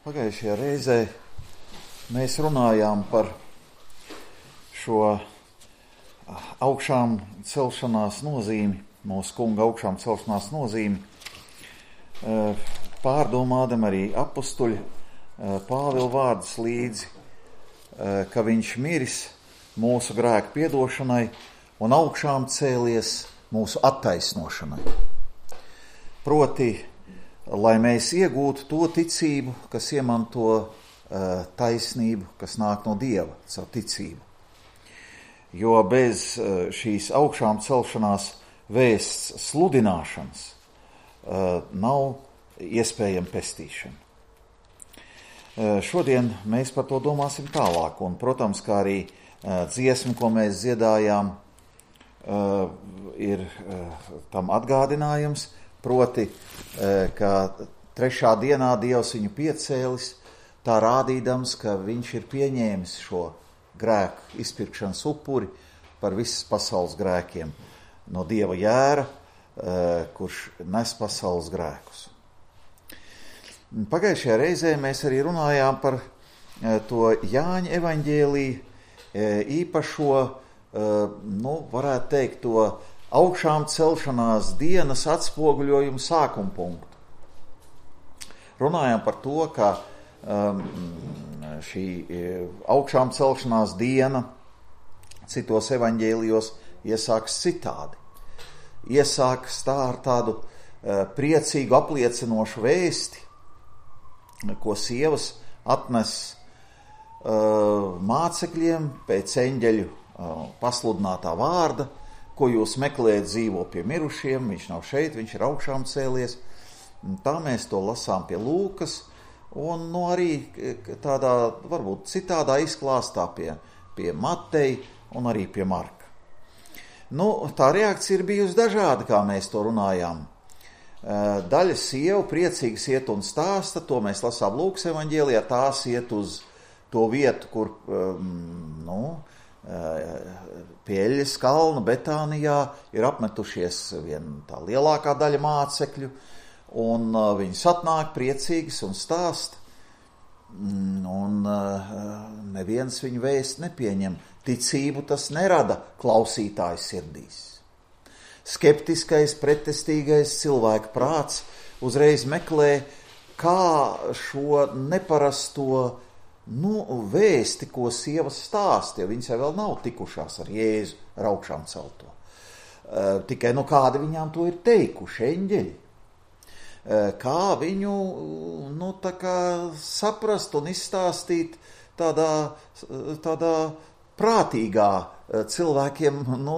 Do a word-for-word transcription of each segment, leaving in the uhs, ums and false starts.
Pagājušajā reizē mēs runājām par šo augšām celšanās nozīmi, mūsu kunga augšām celšanās nozīmi, pārdomādam arī apustuļa Pāvila vārdus līdzi, ka viņš miris mūsu grēku piedošanai un augšām cēlies mūsu attaisnošanai. Proti, lai mēs iegūtu to ticību, kas iemanto uh, taisnību, kas nāk no Dieva, savu ticību. Jo bez uh, šīs augšām celšanās vēsts sludināšanas uh, nav iespējama pestīšana. Uh, šodien mēs par to domāsim tālāk, un, protams, kā arī uh, dziesma, ko mēs dziedājām, uh, ir uh, tam atgādinājums, proti, ka trešā dienā Dievs viņu piecēlis, tā rādīdams, ka viņš ir pieņēmis šo grēku izpirkšanas upuri par visas pasaules grēkiem no Dieva jēra, kurš nes pasaules grēkus. Pagājušajā reizē mēs arī runājām par to Jāņa evaņģēliju īpašo, nu, varētu teikt, to augšām celšanās dienas atspoguļojumu sākuma punktu. Runājām par to, ka um, šī augšām celšanās diena citos evaņģēlijos iesāks citādi. Iesāks tā ar tādu uh, priecīgu apliecinošu vēsti, ko sievas atnes uh, mācekļiem pēc eņģeļu uh, pasludinātā vārda, ko jūs meklējat, dzīvo pie mirušiem, viņš nav šeit, viņš ir augšām cēlies. Tā mēs to lasām pie Lūkas, un nu, arī tādā, varbūt citādā izklāstā pie, pie Mateja un arī pie Marka. Nu, tā reakcija ir bijusi dažāda, kā mēs to runājām. Daļa sievu priecīgas iet un stāsta, to mēs lasām Lūkas evaņģēlijā, tās iet uz to vietu, kur, nu, pie Eļas kalna Betānijā ir apmetušies vien tā lielākā daļa mācekļu, un uh, viņas atnāk priecīgas un stāst, un uh, neviens viņu vēst nepieņem. Ticību tas nerada klausītāju sirdīs. Skeptiskais, pretestīgais cilvēka prāts uzreiz meklē, kā šo neparasto Nu, vēsti, ko sievas stāsta, jo viņas jau vēl nav tikušās ar Jēzu, ar augšām celto. Uh, tikai nu kādi viņām to ir teikuši, eņģeļi. Uh, kā viņu, nu, tā kā saprast un izstāstīt tādā, tādā prātīgā cilvēkiem, nu,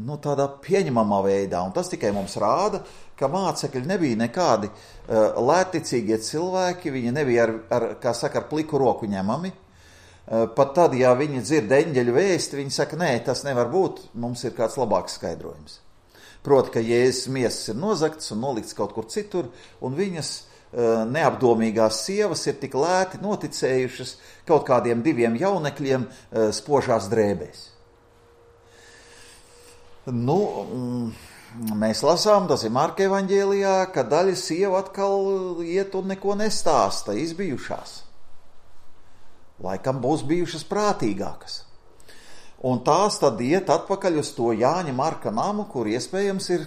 nu, tādā pieņemamā veidā. Un tas tikai mums rāda, ka mācekļi nebija nekādi uh, lētticīgie cilvēki, viņi nebija ar, ar, kā saka, ar pliku roku ņemami. Uh, pat tad, ja viņi dzird eņģeļu vēsti, viņi saka, nē, tas nevar būt, mums ir kāds labāks skaidrojums. Proti, ka Jēzus miesas ir nozagts un nolikts kaut kur citur, un viņas uh, neapdomīgās sievas ir tik lēti noticējušas kaut kādiem diviem jaunekļiem uh, spožās drēbēs. Nu... Mm, Mēs lasām, tas ir Marka evaņģēlijā, ka daļa sieva atkal iet un neko nestāsta, izbijušās. Laikam būs bijušas prātīgākas. Un tās tad iet atpakaļ uz to Jāņa Marka namu, kur iespējams ir,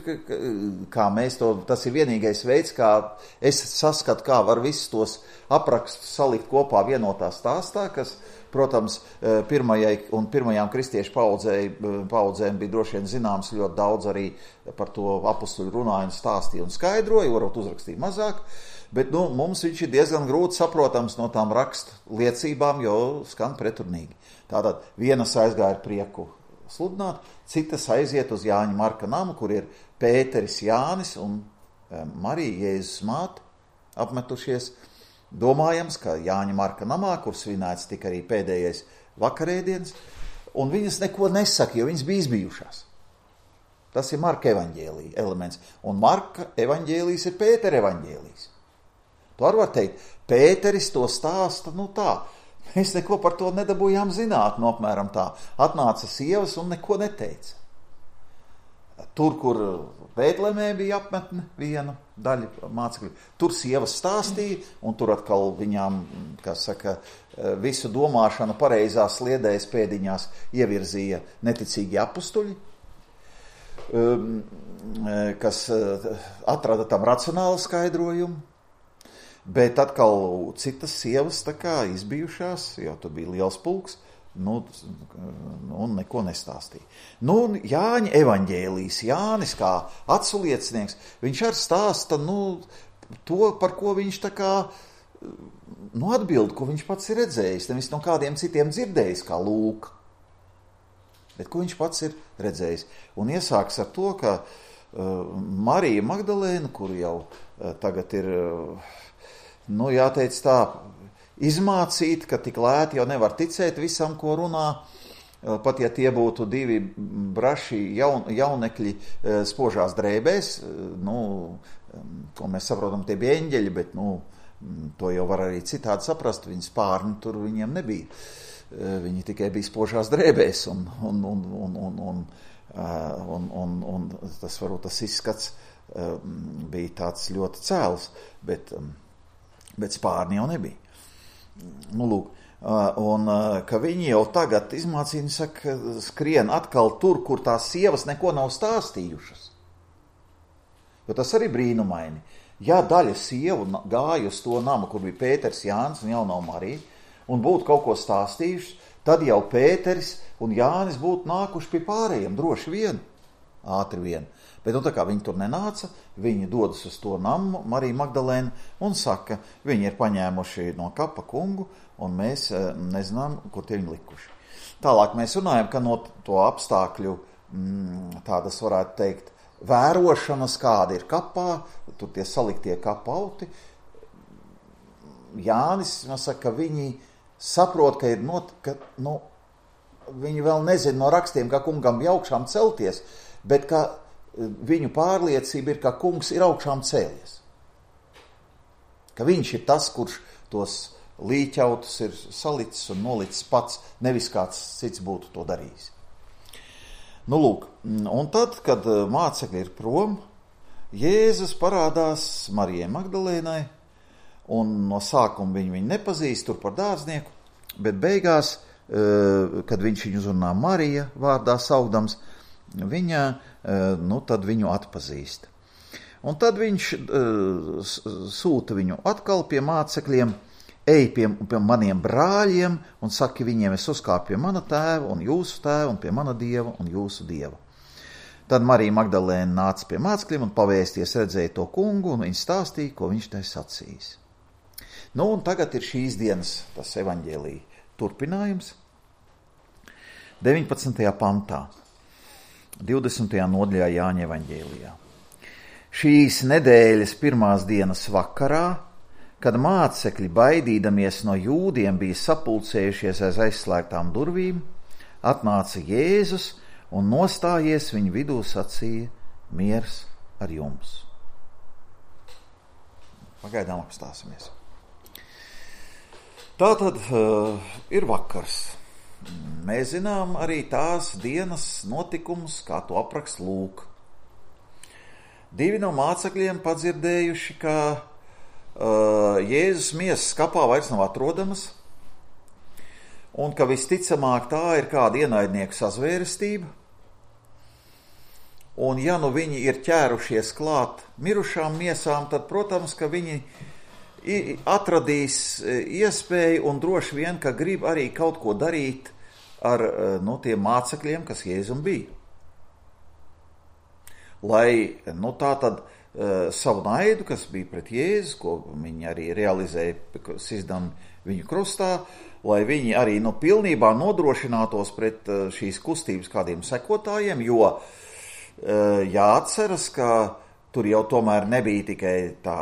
kā mēs to, tas ir vienīgais veids, kā es saskatu, kā var visus tos aprakstus salikt kopā vienotā stāstā, kas, protams, pirmajai un pirmajām kristiešu paudzēm bija droši vien zināms ļoti daudz arī par to apustuļu runāju un stāstīju un skaidroju, varbūt uzrakstīju mazāk, bet nu, mums viņš ir diezgan grūti saprotams no tām rakstu liecībām, jo skan preturnīgi. Tātad vienas aizgāja ar prieku sludināt, citas aiziet uz Jāņa Marka namu, kur ir Pēteris Jānis un Marija Jēzus māte apmetušies. Domājams, ka Jāņa Marka namā, kur svinēts tika arī pēdējais vakarēdiens, un viņas neko nesaka, jo viņas bija izbijušās. Tas ir Marka evaņģēlija elements, un Marka evaņģēlijs ir Pētera evaņģēlijs. To arī var teikt, Pēteris to stāsta, nu tā, mēs neko par to nedabūjām zināt, no apmēram tā. Atnāca sievas un neko neteica. tur, kur Bētlemē bija apmetne viena daļa mācekļu, tur sievas stāstīja, un tur atkal viņām, kā saka, visu domāšanu pareizās sliedēs pēdiņās ievirzīja neticīgi apustuļi, kas atrada tam racionālu skaidrojumu, bet atkal citas sievas tā kā izbijušās, jo tur bija liels pulks, nu, un neko nestāstīja. Nu, Jāņa evaņģēlijs, Jānis kā atsliecinieks, viņš arī stāsta, nu, to, par ko viņš tā kā, nu, atbild, ko viņš pats ir redzējis, nevis no kādiem citiem dzirdējis, kā Lūka, bet ko viņš pats ir redzējis. Un iesāks ar to, ka uh, Marija Magdalēna, kur jau uh, tagad ir, uh, nu, jāteic tā, izmācīt, ka tik lēti jau nevar ticēt visam, ko runā, pat ja tie būtu divi braši jaun, jaunekļi spožās drēbēs, nu, ko mēs saprotam, tie bija eņģeļi, bet, nu, to jau var arī citādi saprast, viņi spārni tur viņiem nebija. Viņi tikai bija spožās drēbēs, un, un, un, un, un, un, un, un, un tas varbūt tas izskats bija tāds ļoti cēls, bet, bet spārni jau nebija. Nu, lūk, un ka viņi jau tagad izmācīja, saka, skrien atkal tur, kur tās sievas neko nav stāstījušas. Jo tas arī brīnumaini. Ja daļa sievu gāja uz to namu, kur bija Pēters, Jānis un jaunā Marija, un būtu kaut ko stāstījuši, tad jau Pēteris un Jānis būtu nākuši pie pārējiem, droši vien, ātri vien. Bet, nu, tā kā viņi tur nenāca, viņi dodas uz to namu, Marija Magdalēna, un saka, viņi ir paņēmuši no kapa kungu, un mēs nezinām, kur tie viņi likuši. Tālāk mēs runājam, ka no to apstākļu, mm, tādas varētu teikt, vērošanas, kāda ir kapā, tur tie saliktie kapauti. Jānis, man saka, ka viņi saprot, ka ir not, ka, nu, viņi vēl nezina no rakstiem, ka kungam bija augšām celties, bet ka viņu pārliecība ir, ka kungs ir augšām cēlies. Ka viņš ir tas, kurš tos līķautus ir salicis un nolicis pats, nevis kāds cits būtu to darījis. Nu, lūk, un tad, kad mācekļi ir prom, Jēzus parādās Marijai Magdalēnai, un no sākuma viņu, viņu nepazīst tur par dārznieku, bet beigās, kad viņš viņu uzrunā Marija vārdā saukdams, viņa, nu, tad viņu atpazīst. Un tad viņš uh, sūta viņu atkal pie mācekļiem, ej pie, pie maniem brāļiem un saki viņiem, es uzkāpu pie mana tēva un jūsu tēva un pie mana dieva un jūsu dieva. Tad Marija Magdalēna nāca pie mācekļiem un pavēsties redzēja to kungu un viņa stāstīja, ko viņš tai sacījis. Nu, un tagad ir šīs dienas tas evaņģēlija turpinājums. deviņpadsmitajā pantā. divdesmitajā nodaļā Jāņa evaņģēlijā. Šīs nedēļas pirmās dienas vakarā, kad mācekļi baidīdamies no jūdiem bija sapulcējušies aiz aizslēgtām durvīm, atnāca Jēzus un nostājies viņu vidū sacīja, miers ar jums. Pagaidām apstāsimies. Tātad uh, ir vakars. Mēs zinām arī tās dienas notikumus, kā to apraksta Lūka. Divi no mācekļiem padzirdējuši, ka uh, Jēzus miesas kapā vairs nav atrodamas, un ka visticamāk tā ir kāda ienaidnieku sazvērestība, un ja nu viņi ir ķērušies klāt mirušām miesām, tad, protams, ka viņi atradīs iespēju un droši vien, ka grib arī kaut ko darīt ar nu, tiem mācekļiem, kas Jēzum bija. Lai nu, tā tad uh, savu naidu, kas bija pret Jēzu, ko viņi arī realizēja sizdam viņu krustā, lai viņi arī nu, pilnībā nodrošinātos pret uh, šīs kustības kādiem sekotājiem, jo uh, jāatceras, ka tur jau tomēr nebija tikai tā,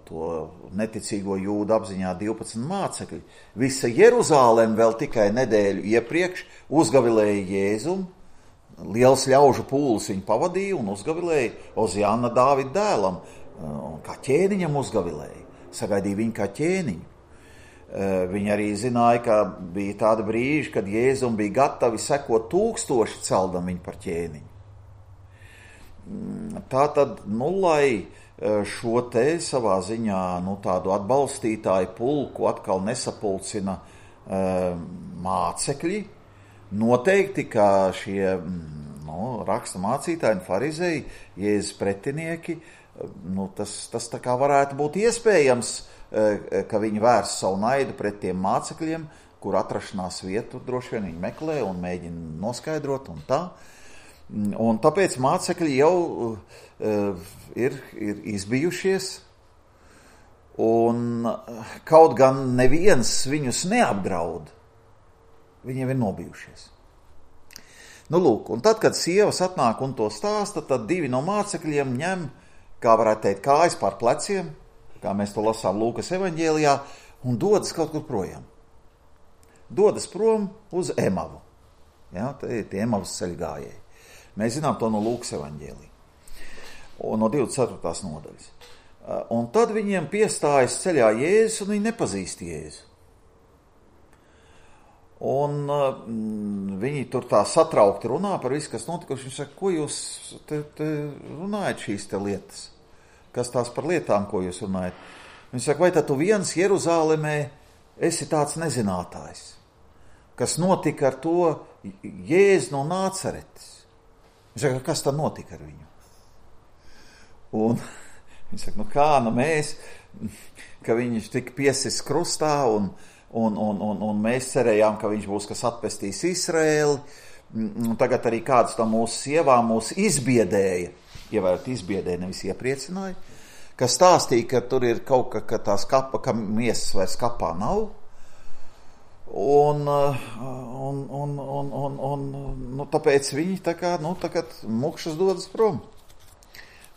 to neticīgo jūdu apziņā divpadsmit mācekļi. Visa Jeruzālem vēl tikai nedēļu iepriekš uzgavilēja Jēzumu, liels ļaužu pūlis viņu pavadīja un uzgavilēja Oziāna Dāvida dēlam, kā ķēniņam uzgavilēja, sagaidīja viņu kā ķēniņu. Viņi arī zināja, ka bija tāda brīži, kad Jēzum bija gatavi sekot tūkstoši celdam viņu par ķēniņu. tā tad, nu, lai šo te savā ziņā, nu, tādu atbalstītāju pulku atkal nesapulcina uh, mācekļi, noteikti, ka šie, nu, raksta mācītāji un farizēji, Jēzus pretinieki, nu, tas, tas tā kā varētu būt iespējams, uh, ka viņi vērs savu naidu pret tiem mācekļiem, kur atrašanās vietu droši vien viņi meklē un mēģina noskaidrot un tā. Un tāpēc mācekļi jau uh, ir, ir izbijušies, un kaut gan neviens viņus neapdraud, viņiem ir nobijušies. Nu, lūk, un tad, kad sievas atnāk un to stāsta, tad divi no mācekļiem ņem, kā varētu teikt, kājas pār pleciem, kā mēs to lasām Lūkas evaņģēlijā, un dodas kaut kur projām. Dodas prom uz Emavu. Ja, tie ir tie Emavas ceļgājēji. Mēs zinām to no Lūkas evaņģēlija, un no divdesmit ceturtās nodaļas. Un tad viņiem piestājas ceļā Jēzus, un viņi nepazīst Jēzu. Un mm, viņi tur tā satraukti runā par visu, kas notikuši. Viņi saka, ko jūs te, te runājat šīs te lietas? Kas tās par lietām, ko jūs runājat? Viņi saka, vai tad tu viens Jeruzālemē esi tāds nezinātājs, kas notika ar to Jēzu no Nācaretes? Viņš saka, kas tad notika ar viņu? Un viņš saka, nu kā, nu mēs, ka viņš tika piesis krustā, un, un, un, un, un mēs cerējām, ka viņš būs, kas atpestīs Izraēli, un tagad arī kāds no mūsu sievām mūs izbiedēja, ievērot izbiedēja, nevis iepriecināja, ka stāstīja, ka tur ir kaut ka, ka tās kapa, ka miesas vairs kapā nav, Un, un, un, un, un, un nu, tāpēc viņi tā kā, nu, tagad mukšas dodas prom.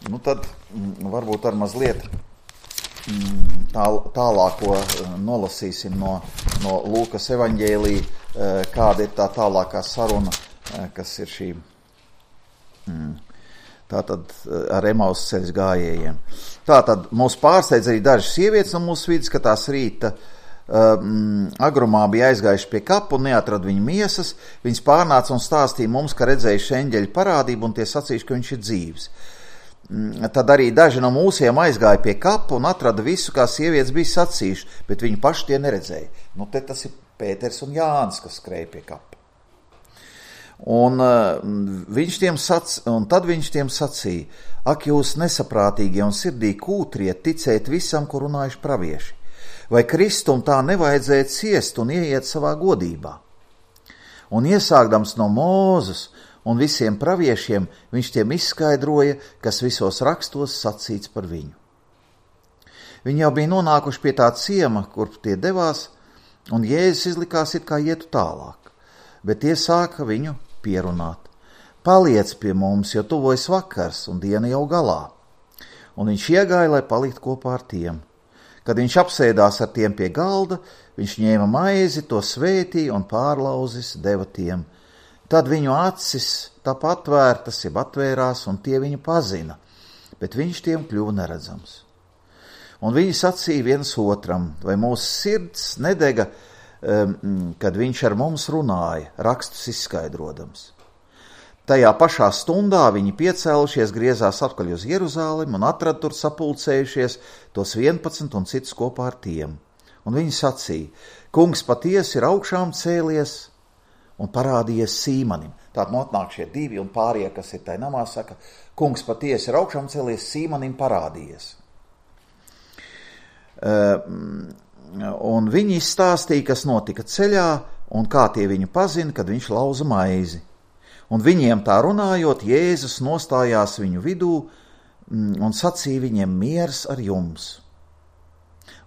Nu, tad varbūt ar mazliet tā, tālāko nolasīsim no, no Lūkas evaņģēlija, kāda ir tā tālākā saruna, kas ir šī, tātad ar Emavas ceļa gājējiem. Tātad mūs pārsteidz arī dažas sievietes no mūsu vidas, ka tās rīta Um, agrumā bija aizgājuši pie kapu un neatrada viņu miesas. Viņas pārnāca un stāstīja mums, ka redzējuši eņģeļu parādību un tie sacījuši, ka viņš ir dzīvs. Um, tad arī daži no mūsiem aizgāja pie kapu un atrada visu, kā sievietes bija sacījuši, bet viņi paši tie neredzēja. Nu, te tas ir Pēters un Jānis, kas skrēja pie kapa. Un, uh, viņš tiem sac, un tad viņš tiem sacīja, ak, jūs nesaprātīgie un sirdī kūtrie, ticēt visam, ko runājuši pravieši. Vai Kristum tā nevajadzēja ciest un ieiet savā godībā? Un iesākdams no Mūzes un visiem praviešiem, viņš tiem izskaidroja, kas visos rakstos sacīts par viņu. Viņi jau bija nonākuši pie tā ciema, kur tie devās, un Jēzus izlikās it kā ietu tālāk, bet tie sāka viņu pierunāt. Paliec pie mums, jo tuvojas vakars un diena jau galā. Un viņš iegāja, lai paliktu kopā ar tiem. Kad viņš apsēdās ar tiem pie galda, viņš ņēma maizi, to svētīja un pārlauzis deva tiem. Tad viņu acis tāpat atvērtas, jeb atvērās, un tie viņu pazina, bet viņš tiem kļuva neredzams. Un viņi sacīja viens otram, vai mūsu sirds nedega, um, kad viņš ar mums runāja, rakstus izskaidrodams. Tajā pašā stundā viņi piecēlušies, griezās atkaļ uz Jeruzālemi un atrada tur sapulcējušies tos vienpadsmit un citus kopā ar tiem. Un viņi sacīja, kungs patiesi ir augšām cēlies un parādījies Sīmanim. Tātad notnāk šie divi un pārējie, kas ir tai namā, saka, kungs patiesi ir augšām cēlies, Sīmanim parādījies. Uh, un viņi izstāstīja, kas notika ceļā un kā tie viņu pazina, kad viņš lauza maizi. Un viņiem tā runājot, Jēzus nostājās viņu vidū un sacīja viņiem miers ar jums.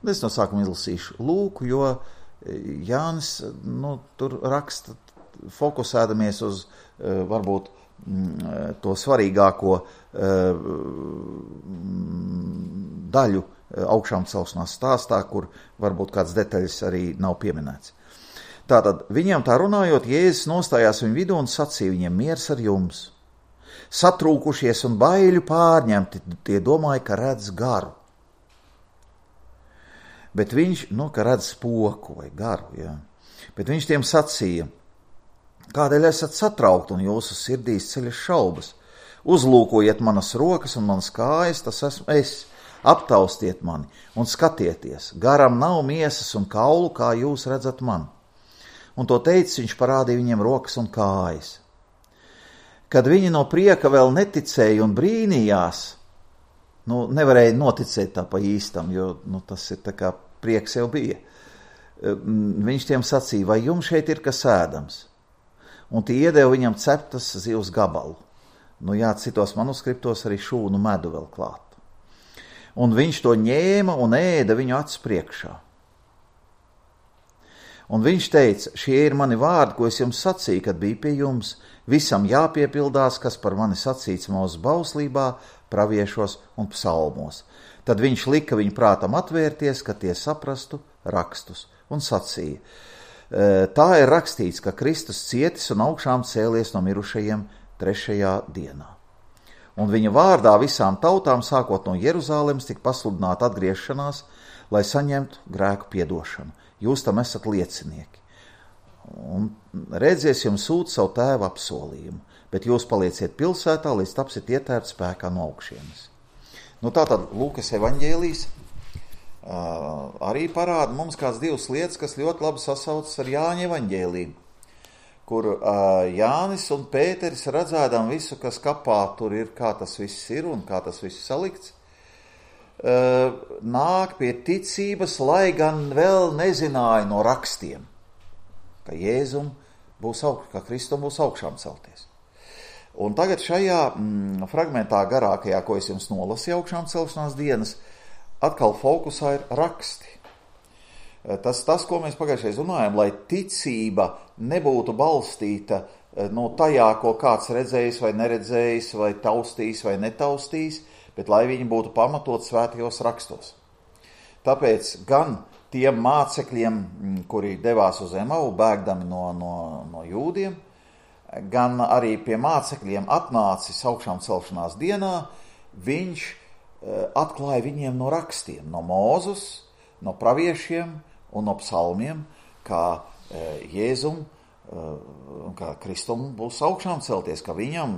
Un es no sākuma izlasīšu Lūku, jo Jānis nu, tur raksta fokusēdamies uz varbūt to svarīgāko daļu augšām celšanās stāstā, kur varbūt kāds detaļas arī nav pieminēts. Tātad, viņam tā runājot, Jēzus nostājās viņu vidū un sacīja viņiem miers ar jums. Satrūkušies un baiļu pārņemti, tie domāja, ka redz garu. Bet viņš, nu, ka redz spoku vai garu, jā. Bet viņš tiem sacīja, kādēļ esat satraukti un jūsu sirdīs ceļas šaubas, Uzlūkojiet manas rokas un manas kājas, tas esmu es. Aptaustiet mani un skatieties, garam nav miesas un kaulu, kā jūs redzat man. Un to teicis, viņš parādīja viņiem rokas un kājas. Kad viņi no prieka vēl neticēja un brīnījās, nu, nevarēja noticēt tā pa īstam, jo nu, tas ir tā kā prieks jau bija. Viņš tiem sacīja, vai jums šeit ir kas ēdams? Un tie iedeva viņam ceptas zivs gabalu. Nu jā, citos manuskriptos arī šūnu medu vēl klāt. Un viņš to ņēma un ēda viņu acu priekšā. Un viņš teica, šie ir mani vārdi, ko es jums sacīju, kad biju pie jums. Visam jāpiepildās, kas par mani sacīts mūsu bauslībā, praviešos un psalmos. Tad viņš lika viņu prātam atvērties, ka tie saprastu rakstus, un sacīja. Tā ir rakstīts, ka Kristus cietis un augšām cēlies no mirušajiem trešajā dienā. Un viņa vārdā visām tautām, sākot no Jeruzālemes, tika pasludināta atgriešanās, lai saņemtu grēku piedošanu. Jūs tam esat liecinieki. Un redzies jums sūta savu tēva apsolījumu, bet jūs palieciet pilsētā, līdz tapsiet ietērti spēkā no augšienes. Nu tātad Lūkas evaņģēlijs uh, arī parāda mums kāds divas lietas, kas ļoti labi sasaucas ar Jāņa evaņģēliju, kur uh, Jānis un Pēteris redzēdam visu, kas kapā tur ir, kā tas viss ir un kā tas viss salikts, uh, nāk pie ticības, lai gan vēl nezināja no rakstiem, ka Jēzum būs augš, ka Kristum būs augšām celties. Un tagad šajā mm, fragmentā garākajā, ko es jums nolasīju augšām celšanās dienas, atkal fokusā ir raksti. Tas, tas ko mēs pagājušajā runājam, lai ticība nebūtu balstīta no tajā, ko kāds redzējis vai neredzējis, vai taustījis vai netaustījis, bet lai viņi būtu pamatot svētajos rakstos. Tāpēc gan tiem mācekļiem, kuri devās uz Emavu, bēgdami no, no, no jūdiem, gan arī pie mācekļiem atnācis augšām celšanās dienā, viņš atklāja viņiem no rakstiem, no Mūzus, no praviešiem un no psalmiem, kā Jēzum, kā Kristum būs augšām celties, ka viņam,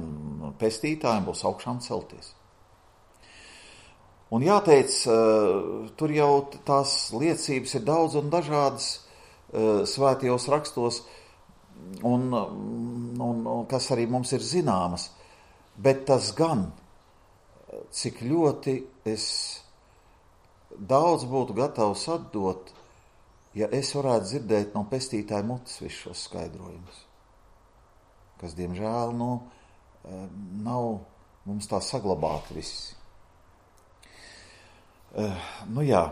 pestītājiem, būs augšām celties. Un jāteic, tur jau tās liecības ir daudz un dažādas svētajos rakstos, un, un, un kas arī mums ir zināmas, bet tas gan, cik ļoti es daudz būtu gatavs atdot, ja es varētu dzirdēt no pestītāja mutes visus šos skaidrojumus, kas, diemžēl, nu, nav mums tā saglabāti visi. Nu jā,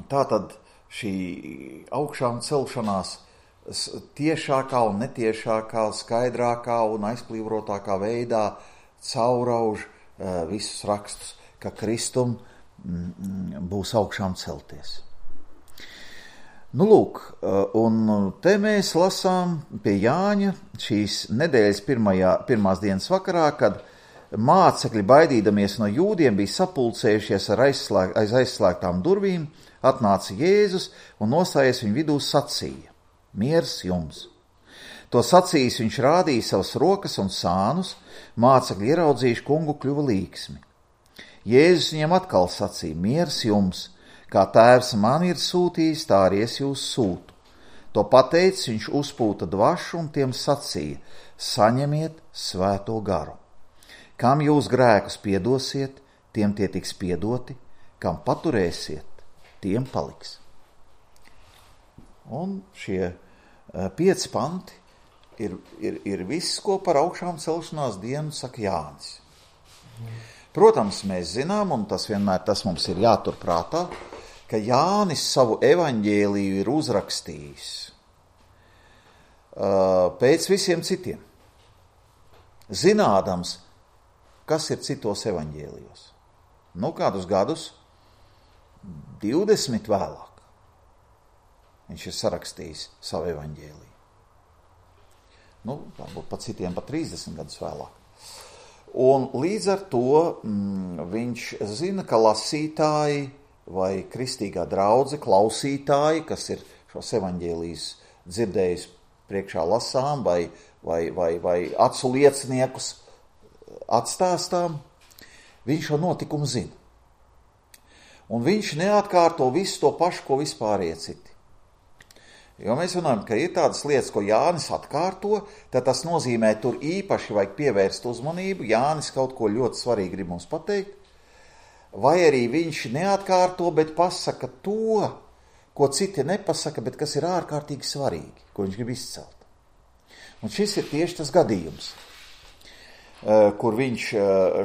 tā tad šī augšām celšanās tiešākā un netiešākā, skaidrākā un aizplīvrotākā veidā caurauž visus rakstus, ka Kristum būs augšām celties. Nu lūk, un te mēs lasām pie Jāņa šīs nedēļas pirmajā, pirmās dienas vakarā, kad mācekļi, baidīdamies no jūdiem, bija sapulcējušies ar aizslēg, aiz aizslēgtām durvīm, atnāca Jēzus un nostājies viņu vidū sacīja: Miers jums! To sacījis viņš rādīja savas rokas un sānus, mācekļi ieraudzījuši kungu kļuva līksmi. Jēzus viņam atkal sacīja: Miers jums! Kā tēvs man ir sūtījis, tā arī es jūs sūtu. To pateicis, viņš uzpūta dvašu un tiem sacīja: Saņemiet svēto garu. Kam jūs grēkus piedosiet, tiem tie tiks piedoti, kam paturēsiet, tiem paliks. Un šie pieci panti ir, ir, ir viss, ko par augšām celšanās dienu saka Jānis. Protams, mēs zinām, un tas vienmēr tas mums ir jāturprātā, ka Jānis savu evaņģēliju ir uzrakstījis uh, pēc visiem citiem, zinādams, kas ir citos evaņģēlijos. Nu, kādus gadus, divdesmit vēlāk, viņš ir sarakstījis savu evaņģēliju. Nu, varbūt pat citiem pat trīsdesmit gadus vēlāk. Un līdz ar to mm, viņš zina, ka lasītāji vai kristīgā draudze, klausītāji, kas ir šos evaņģēlijus dzirdējis priekšā lasām vai, vai, vai, vai acu lieciniekus atstāstām, viņš šo notikumu zina. Un viņš neatkārto visu to pašu, ko vispārējie citi. Jo mēs runājam, ka ir tādas lietas, ko Jānis atkārto, tad tas nozīmē, tur īpaši vajag pievērst uzmanību, Jānis kaut ko ļoti svarīgi grib mums pateikt, vai arī viņš neatkārto, bet pasaka to, ko citi nepasaka, bet kas ir ārkārtīgi svarīgi, ko viņš grib izcelt. Un šis ir tieši tas gadījums, kur viņš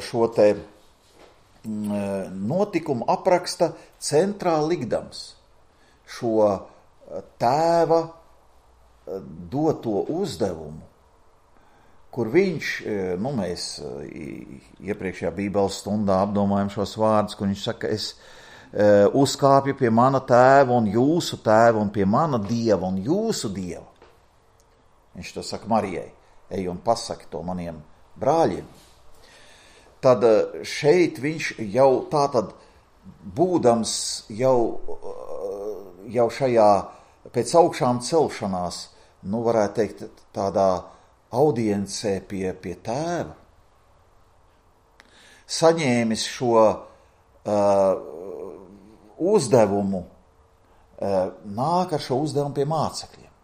šo te notikumu apraksta centrāli likdams šo tēva doto uzdevumu, kur viņš, nu mēs iepriekšējā Bībeles stundā apdomājam šos vārdus, kur viņš saka, es uzkāpju pie mana tēva un jūsu tēva un pie mana dieva un jūsu dieva. Viņš to saka Marijai, ej un pasaki to maniem brāļiem. Tad šeit viņš jau tātad būdams jau, jau šajā pēc augšām celšanās, nu varētu teikt tādā audiencē pie, pie tēva, saņēmis šo uh, uzdevumu, uh, nāk ar šo uzdevumu pie mācekļiem.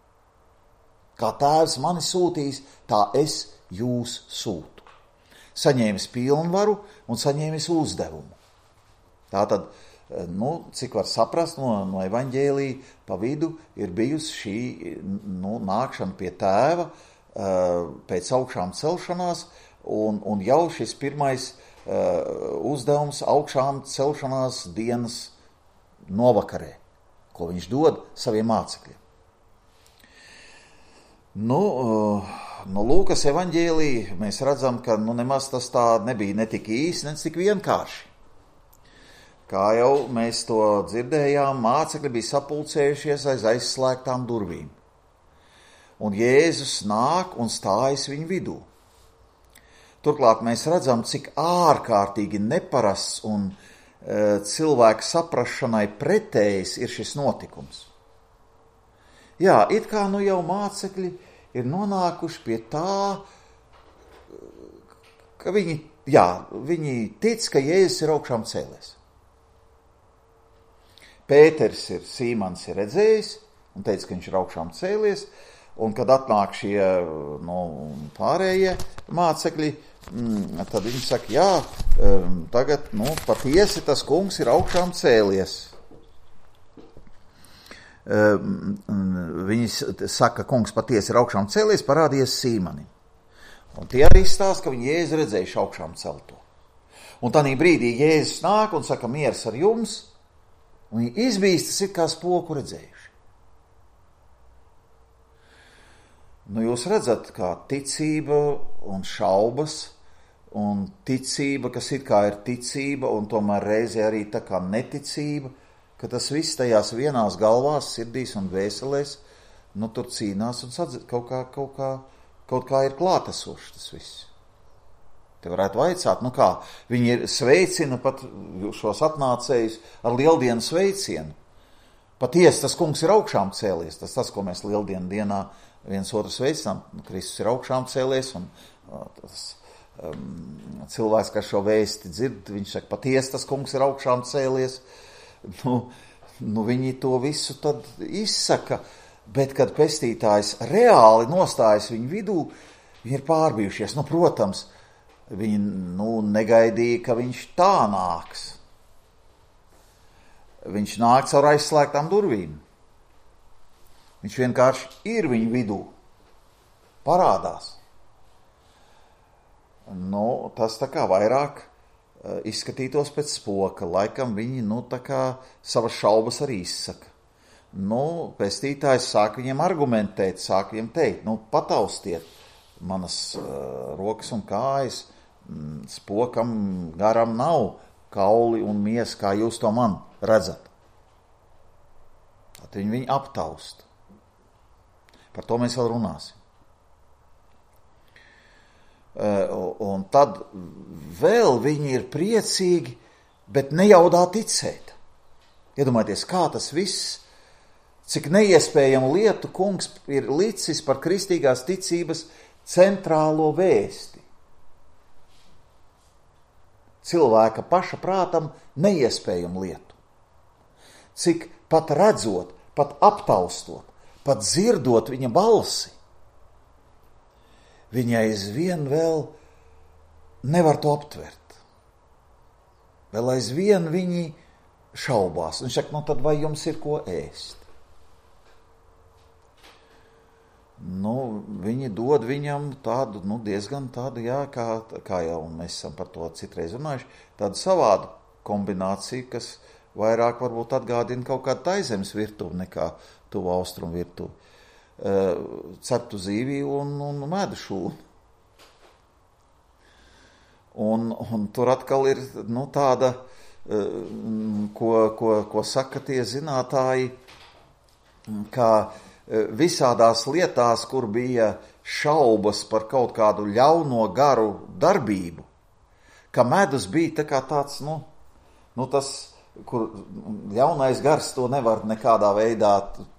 Kā tēvs mani sūtīs, tā es jūs sūtu. Saņēmis pilnvaru un saņēmis uzdevumu. Tātad, nu, cik var saprast no, no evaņģēlija, pa vidu ir bijusi šī nu, nākšana pie tēva pēc augšām celšanās, un, un jau šis pirmais uzdevums augšām celšanās dienas novakarē, ko viņš dod saviem mācekļiem. Nu, no Lūkas evaņģēlija mēs redzam, ka nu, nemaz tas tā nebija ne tik īsi, ne tik vienkārši. Kā jau mēs to dzirdējām, mācekļi bija sapulcējušies aiz aizslēgtām durvīm. Un Jēzus nāk un stājas viņu vidū. Turklāt mēs redzam, cik ārkārtīgi neparasts un e, cilvēku saprašanai pretējs ir šis notikums. Jā, it kā nu jau mācekļi ir nonākuši pie tā, ka viņi, jā, viņi tic, ka Jēzus ir augšām cēlies. Pēters ir, Sīmans ir redzējis un teica, ka viņš ir augšām cēlies, un kad atnāk šie nu, pārējie mācekļi, tad viņi saka, jā, tagad nu, patiesi tas kungs ir augšām cēlies. Viņi saka, kungs patiesi ir augšām cēlies, parādījies Sīmanim. Un tie arī stāsta, ka viņi Jēzu redzējuši augšām celto. Un tādā brīdī Jēzus nāk un saka, miers ar jums, un viņi izbīstas ir kā spoku redzējuši. Nu, jūs redzat, kā ticība un šaubas, un ticība, kas it kā ir ticība, un tomēr reizē arī tā kā neticība, ka tas viss tajās vienās galvās, sirdīs un vēselēs, nu tur cīnās un sadzird, kaut kā, kaut kā, kaut kā ir klātesoši tas viss. Te varētu vaicāt, nu kā, viņi ir sveicina pat šos atnācējus ar lieldienu sveicienu. Patiesi, tas kungs ir augšām cēlies, tas tas, ko mēs lieldienu dienā viens otru sveicinām, Kristus ir augšām cēlies, un tas um, cilvēks, kas šo vēsti dzird, viņš saka, patiesi, tas kungs ir augšām cēlies. Nu, nu viņi to visu tad izsaka, bet kad pestītājs reāli nostājas viņu vidū, viņi ir pārbijušies. Nu, protams, viņi nu, negaidīja, ka viņš tā nāks. Viņš nāk caur aizslēgtām durvīm. Viņš vienkārši ir viņu vidū. Parādās. Nu, tas tā kā vairāk uh, izskatītos pēc spoka. Laikam viņi, nu, tā kā savas šaubas arī izsaka. Nu, pestītājs sāk viņiem argumentēt, sāk viņiem teikt, nu, pataustiet manas uh, rokas un kājas, mm, spokam garam nav kauli un miesa, kā jūs to man redzat. Tad viņi viņu aptaust. Par to mēs vēl runāsim. Un tad vēl viņi ir priecīgi, bet nejaudā ticēt. Iedomājieties, kā tas viss, cik neiespējamu lietu kungs ir licis par kristīgās ticības centrālo vēsti. cilvēka paša prātam neiespējamu lietu. Cik pat redzot, pat aptaustot, pat dzirdot viņa balsi, viņa aizvien vēl nevar to aptvert. Vēl aizvien viņi šaubās. Viņš saka, nu tad vai jums ir ko ēst? Nu, viņi dod viņam tādu, nu, diezgan tādu, jā, kā, kā jau mēs esam par to citreiz runājuši, tādu savādu kombināciju, kas vairāk varbūt atgādina kaut kādu taizemes virtuvi nekā tuvu austrumu virtuvi. Uh, ceptu zīviju un, un medu šūnu. Un, un tur atkal ir, nu, tāda, uh, ko, ko, ko saka tie zinātāji, kā visādās lietās, kur bija šaubas par kaut kādu ļauno garu darbību, ka medus bija tā kā tāds, nu, nu tas, kur ļaunais gars to nevar nekādā veidā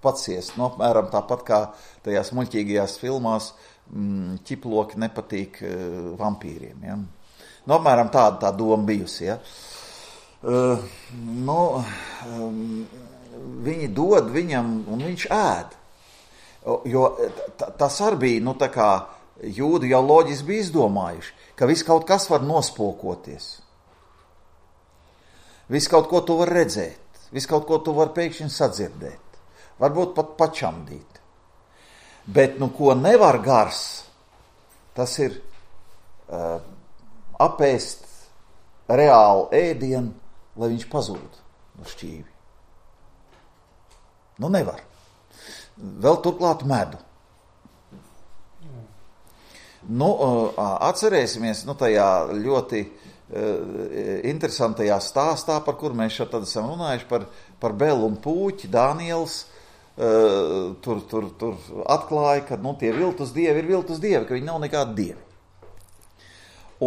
paciest. Nu, apmēram tāpat kā tajās muļķīgajās filmās mm, ķiploki nepatīk uh, vampīriem. Ja? Nu, apmēram tāda tā doma bijusi. Ja? Uh, nu, um, viņi dod viņam un viņš ēd. Jo tas arī bija, nu tā kā jūdi jau loģiski bija izdomājuši, ka viss kaut kas var nospokoties. Viss kaut ko tu var redzēt, viss kaut ko tu var pēkšņi sadzirdēt, varbūt pat pačamdīt. Bet, nu, ko nevar gars, tas ir uh, apēst reālu ēdienu, lai viņš pazūd no šķīvi. Nu, nevar. Vēl turklāt medu. Nu, atcerēsimies, nu, tajā ļoti uh, interesantajā stāstā, par kur mēs šeit tad esam runājuši, par, par Belu un Pūķi, Daniels, uh, tur, tur, tur atklāja, ka, nu, tie viltus dievi ir viltus dievi, ka viņi nav nekādi dievi.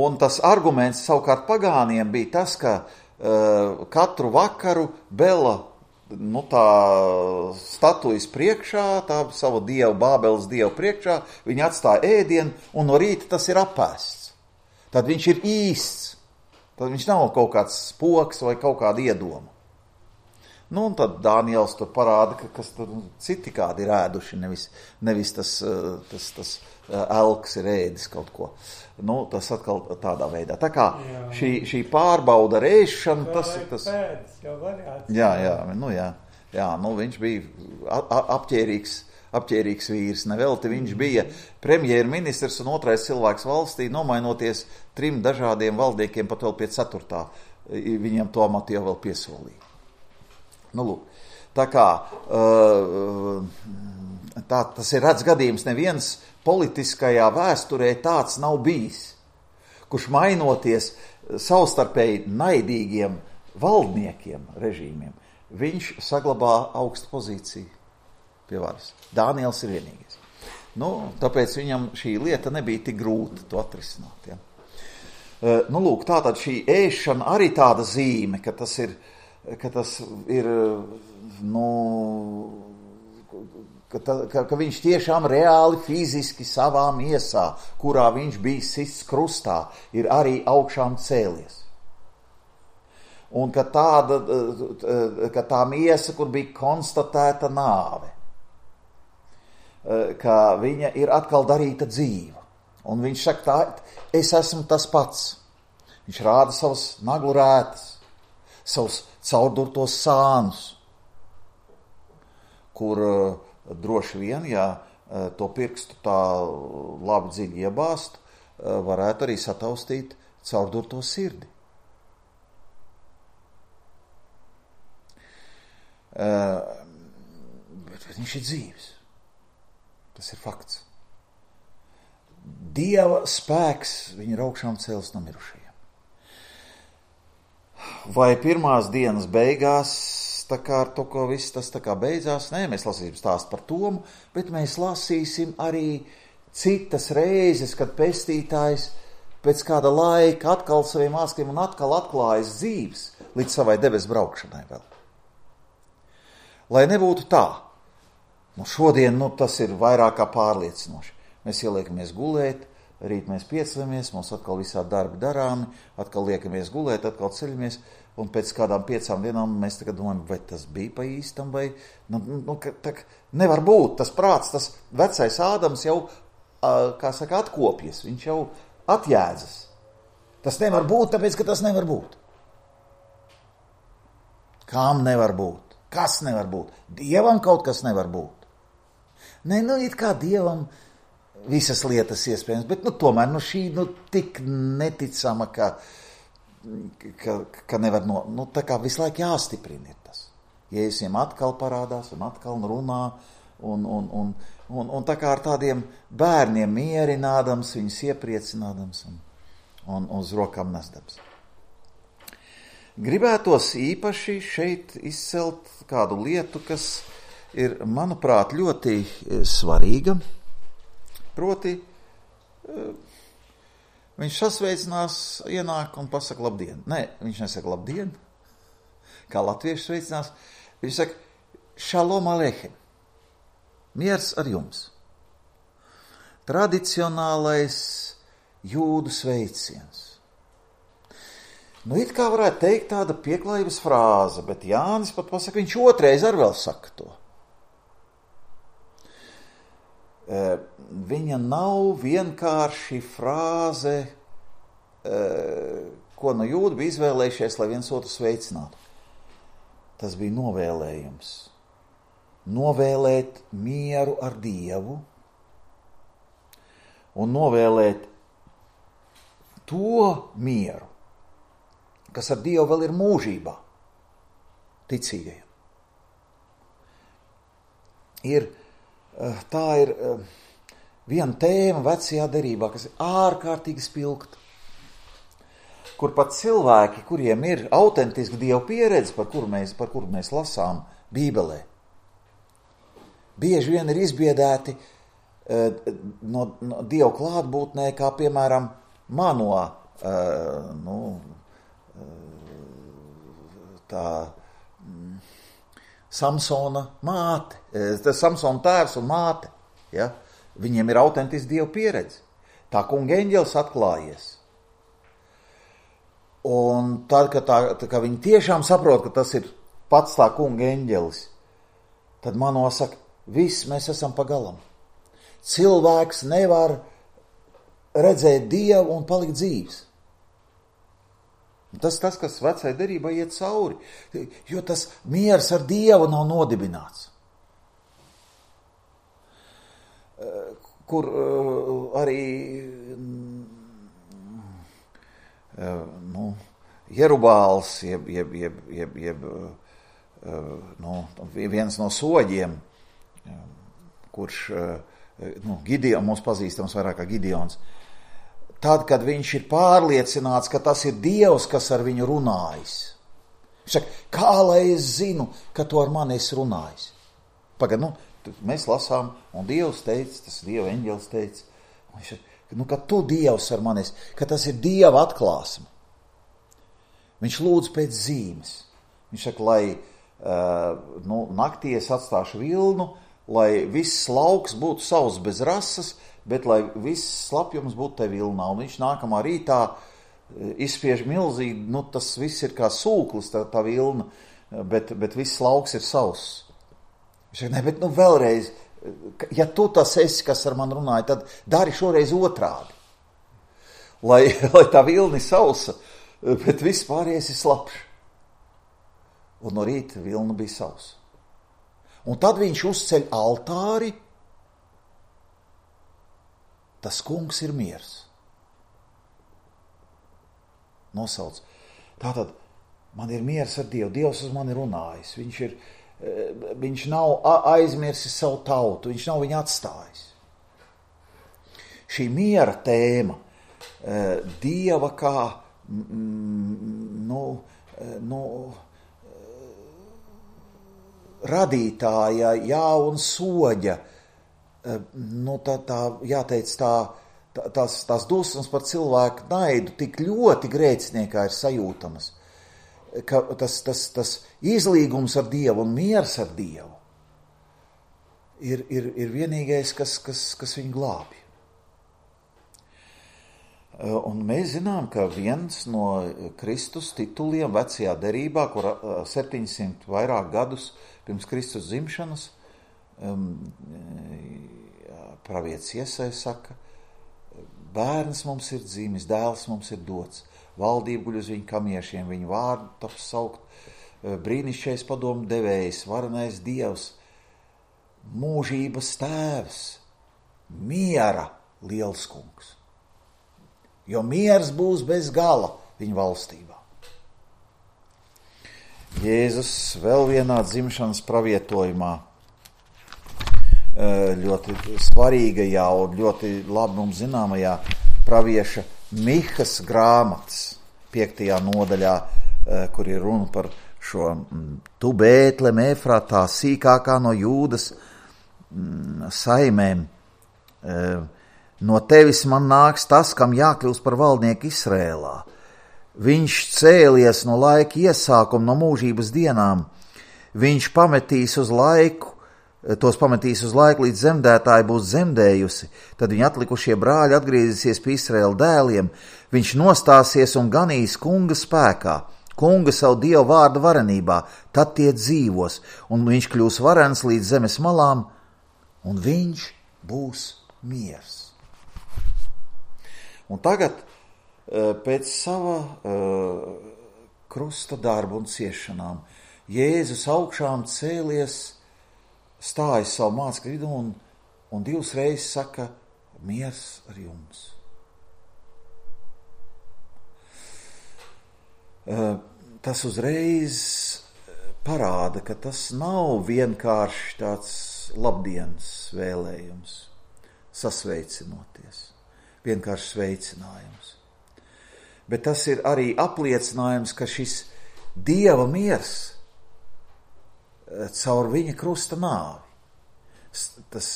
Un tas arguments savukārt pagāniem bija tas, ka uh, katru vakaru Bela, nu, tā statujas priekšā, tā savu dievu, Bābeles dievu priekšā, viņi atstāja ēdienu, un no rīta tas ir apēsts. Tad viņš ir īsts. Tad viņš nav kaut kāds spoks vai kaut kāda iedoma. Nu, un tad Daniels tur parāda, ka kas tur citi kādi ir ēduši, nevis, nevis tas, tas, tas elks ir ēdis kaut ko. Nu, tas atkal tādā veidā. Tā kā jā, šī, šī pārbauda rēšana, tas ir tas... Pēdas, jau variāts. Jā, jā, nu jā. Jā, nu viņš bija apķērīgs, apķērīgs vīrs. Nevelti viņš bija premjerministrs un otrais cilvēks valstī, nomainoties trim dažādiem valdniekiem, pat vēl pie ceturtā. Viņam to amatu jau vēl piesolīja. Nu, lūk. Tā kā tā, tas ir redz gadījums, neviens politiskajā vēsturē tāds nav bijis, kurš mainoties savstarpēji naidīgiem valdniekiem, režīmiem, viņš saglabā augstu pozīciju pie varas. Daniels ir vienīgais. Nu, tāpēc viņam šī lieta nebija tik grūta to atrisināt. Ja? Nu, lūk, tātad šī ēšana arī tāda zīme, ka tas ir, ka tas ir, nu, Ka, ta, ka, ka viņš tiešām reāli fiziski savā miesā, kurā viņš bija sists krustā, ir arī augšām cēlies. Un ka, tāda, ka tā miesa, kur bija konstatēta nāve, ka viņa ir atkal darīta dzīva. Un viņš saka, tā, es esmu tas pats. Viņš rāda savus naglu rētas, savus caurdurtos sānus, kur droši vien, ja to pirkstu tā labi dziļi iebāzt, varētu arī sataustīt caurdurto sirdi. Bet viņš ir dzīves. Tas ir fakts. Dieva spēks viņa ir augšām cēlis no mirušajiem. Vai pirmās dienas beigās tā kā ar to, ko viss tas tā kā beidzās? Nē, mēs lasīsim stāstu par Tomu, bet mēs lasīsim arī citas reizes, kad pestītājs pēc kāda laika atkal saviem mācekļiem un atkal atklājas dzīves līdz savai debesu braukšanai vēl. Lai nebūtu tā, nu šodien nu, tas ir vairāk kā pārliecinoši. Mēs ieliekamies gulēt, rīt mēs piecelamies, mums atkal visādi darbi darāmi, atkal liekamies gulēt, atkal ceļamies, un pēc kādām piecām dienām mēs tagad domājam, vai tas bija pa īstam, vai, nu, nu tā, nevar būt, tas prāts, tas vecais Ādams jau, kā saka, atkopjas, viņš jau atjēdzas. Tas nevar būt, tāpēc, ka tas nevar būt. Kam nevar būt? Kas nevar būt? Dievam kaut kas nevar būt. Nē, nu, it kā Dievam visas lietas iespējams, bet, nu, tomēr, nu, šī, nu, tik neticama, ka, ka, ka nevar, no, nu, tā kā visu laiku jāstiprina ir tas. Jēzus atkal parādās un atkal runā, un, un, un, un, un tā kā ar tādiem bērniem mierinādams, viņus iepriecinādams un, un uz rokām nesdams. Gribētos īpaši šeit izcelt kādu lietu, kas ir, manuprāt, ļoti svarīga. Proti, viņš sasveicinās, ienāk un pasaka labdien. Nē, viņš nesaka labdien, kā latvieši sveicinās. Viņš saka šalom aleichem, miers ar jums. Tradicionālais jūdu sveiciens. Nu, it kā varētu teikt tāda pieklājības frāze, bet Jānis pat pasaka, viņš otrais ar vēl saka to. E, viņa nav vienkārši frāze, e, ko no jūda bija izvēlējušies, lai viens otru sveicinātu. Tas bija novēlējums. Novēlēt mieru ar Dievu un novēlēt to mieru, kas ar Dievu vēl ir mūžībā, ticīgajiem. Ir, tā ir viena tēma vecajā derībā, kas ir ārkārtīgi spilgta, kur pat cilvēki, kuriem ir autentiska Dieva pieredze, par kuru mēs, par kuru mēs lasām Bībelē, bieži vien ir izbiedēti no, no Dieva klātbūtnē, kā piemēram mano, nu, tā Samsona māte, tas Samsona tēvs un māte, ja? Viņiem ir autentiski Dieva pieredze. Tā kunga eņģelis atklājies. Un tad, kad, tā, tā, kad viņi tiešām saprot, ka tas ir pats tā kunga eņģelis, tad man nosaka, viss mēs esam pagalam. Cilvēks nevar redzēt Dievu un palikt dzīves. Tas tas, kas vecai derībai iet cauri, jo tas miers ar Dievu nav nodibināts. Kur arī nu, Jerubāls, jeb, jeb, jeb, jeb, jeb nu, viens no soģiem, kurš, nu, Gideon, mums pazīstams vairāk kā Gideons, tad, kad viņš ir pārliecināts, ka tas ir Dievs, kas ar viņu runājis. Viņš saka, kā lai es zinu, ka tu ar mani esi runājis? Pagad, nu, mēs lasām, un Dievs teica, tas Dieva eņģelis teica, viņš saka, nu, ka tu Dievs ar mani esi, ka tas ir Dieva atklāsme. Viņš lūdz pēc zīmes. Viņš saka, lai uh, nu, naktī es atstāšu vilnu, lai viss lauks būtu savs bez rases, bet lai viss slapjums būtu te vilnā, un viņš nākamā rītā izspiež milzīgi, nu tas viss ir kā sūklis, tā, tā vilna, bet, bet viss lauks ir savs. Viņš saka, ne, bet nu vēlreiz, ja tu tas esi, kas ar man runāja, tad dari šoreiz otrādi. Lai, lai tā vilna ir sausa, bet viss pārējais ir slapš. Un no rīta vilna bija sausa. Un tad viņš uzceļ altāri, tas kungs ir miers. Nosauc. Tātad, man ir miers ar Dievu. Dievs uz mani runājis. Viņš, ir, viņš nav aizmirsis savu tautu. Viņš nav viņu atstājis. Šī miera tēma, Dieva kā, nu, nu, radītāja, jā, un soģa, nu, tā, tā, jāteic, tā, tā, tās, tās dusmas par cilvēku naidu tik ļoti grēciniekā ir sajūtamas, ka tas, tas, tas izlīgums ar Dievu un miers ar Dievu ir, ir, ir vienīgais, kas, kas, kas viņu glābj. Un mēs zinām, ka viens no Kristus tituliem vecajā derībā, kur septiņsimt vairāk gadus pirms Kristus dzimšanas, um, pravietis Iesaja saka, bērns mums ir dzimis, dēls mums ir dots, valdība guļ uz viņu kamiešiem, viņu vārdu taps saukt, brīnišķīgais padomu devējs, varenais Dievs, mūžības tēvs, miera liels kungs. Jo miers būs bez gala viņa valstībā. Jēzus vēl vienā dzimšanas pravietojumā, ļoti svarīgajā un ļoti labi mums zināmajā pravieša Mihas grāmatas piektajā nodaļā, kur ir runa par šo tu Bētlem Efratā, sīkākā no Jūdas saimēm. No tevis man nāks tas, kam jākļūst par valdnieku Izrēlā. Viņš cēlies no laika iesākuma, no mūžības dienām. Viņš pametīs uz laiku, tos pametīs uz laiku, līdz zemdētāji būs zemdējusi. Tad viņa atlikušie brāļi atgriezīsies pie Izraēla dēliem. Viņš nostāsies un ganīs kunga spēkā, kunga savu Dievu vārdu varenībā. Tad tie dzīvos, un viņš kļūs varens līdz zemes malām, un viņš būs miers. Un tagad pēc sava krusta darba un ciešanām Jēzus augšām cēlies, stājas savu mācekļu vidū un, un divas reizes saka, miers ar jums. Tas uzreiz parāda, ka tas nav vienkārši tāds labdienas vēlējums, sasveicinoties. Vienkārši sveicinājums. Bet tas ir arī apliecinājums, ka šis Dieva miers caur viņa krusta nāvi, tas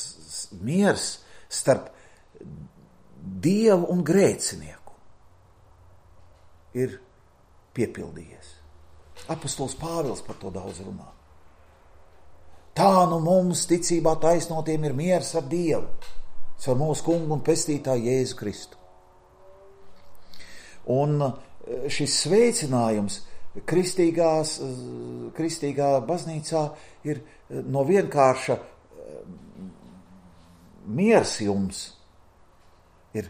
miers starp Dievu un grēcinieku ir piepildījies. Apostols Pāvils par to daudz runā. Tā nu mums ticībā taisnotiem ir miers ar Dievu, caur mūsu kungu un pestītāju Jēzu Kristu. Un šis sveicinājums kristīgās, kristīgā baznīcā ir no vienkārša miers jums, ir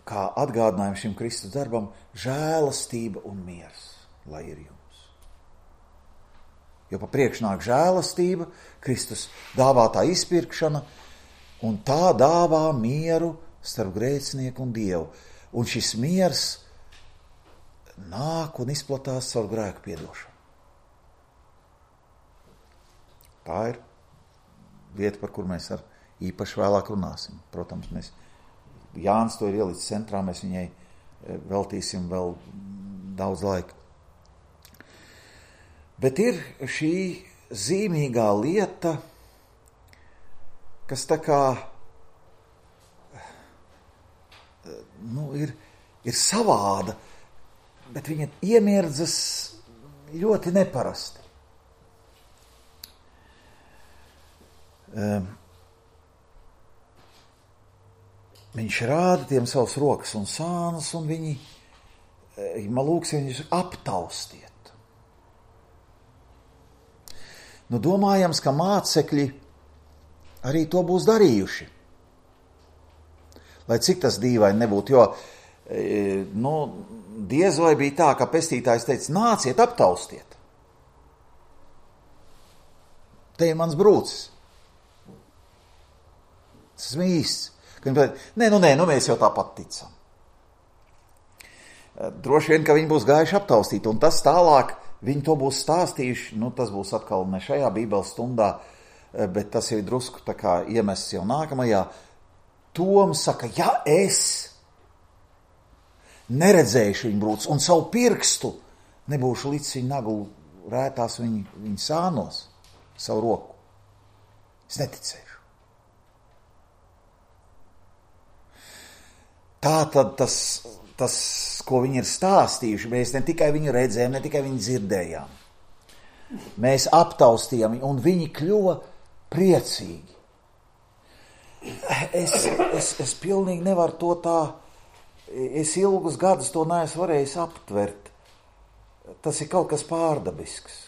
kā atgādinājums šim Kristus darbam žēlastība un miers, lai ir jums. Jo pa priekš nāk žēlastība, Kristus dāvātā izpirkšana, un tā dāvā mieru starp grēcinieku un Dievu. Un šis miers nāk un izplatās caur grēku piedošanu. Tā ir vieta, par kur mēs ar īpaši vēlāk runāsim. Protams, mēs, Jānis to ir ielicis centrā, mēs viņai veltīsim vēl daudz laika. Bet ir šī zīmīgā lieta, kas tā kā nu, ir, ir savāda, bet viņa iemierdzas ļoti neparasti. Um, viņš rāda tiem savus rokas un sānus, un viņi, man lūks, viņus aptaustiet. Nu, domājams, ka mācekļi arī to būs darījuši. Lai cik tas dīvaini nebūtu, jo nu, diez vai bija tā, ka pestītājs teica, nāciet, aptaustiet. Te ir mans brūcis. Tas esmu īsts. Nē, nu nē, nu mēs jau tāpat ticam. Droši vien, ka viņi būs gājuši aptaustīt, un tas tālāk viņi to būs stāstījuši, nu tas būs atkal ne šajā bībeles stundā, bet tas jau ir drusku tā kā iemests jau nākamajā. Tom saka, ja es neredzējuši viņu brūcis un savu pirkstu nebūšu līdz viņa naglu rētās viņa, viņa sānos, savu roku, es neticēšu. Tā tad tas, tas, ko viņi ir stāstījuši, mēs ne tikai viņu redzējām, ne tikai viņu dzirdējām. Mēs aptaustījām viņu, un viņi kļuva priecīgi. Es, es, es pilnīgi nevaru to tā es ilgus gadus to neesmu varējis aptvert. Tas ir kaut kas pārdabisks.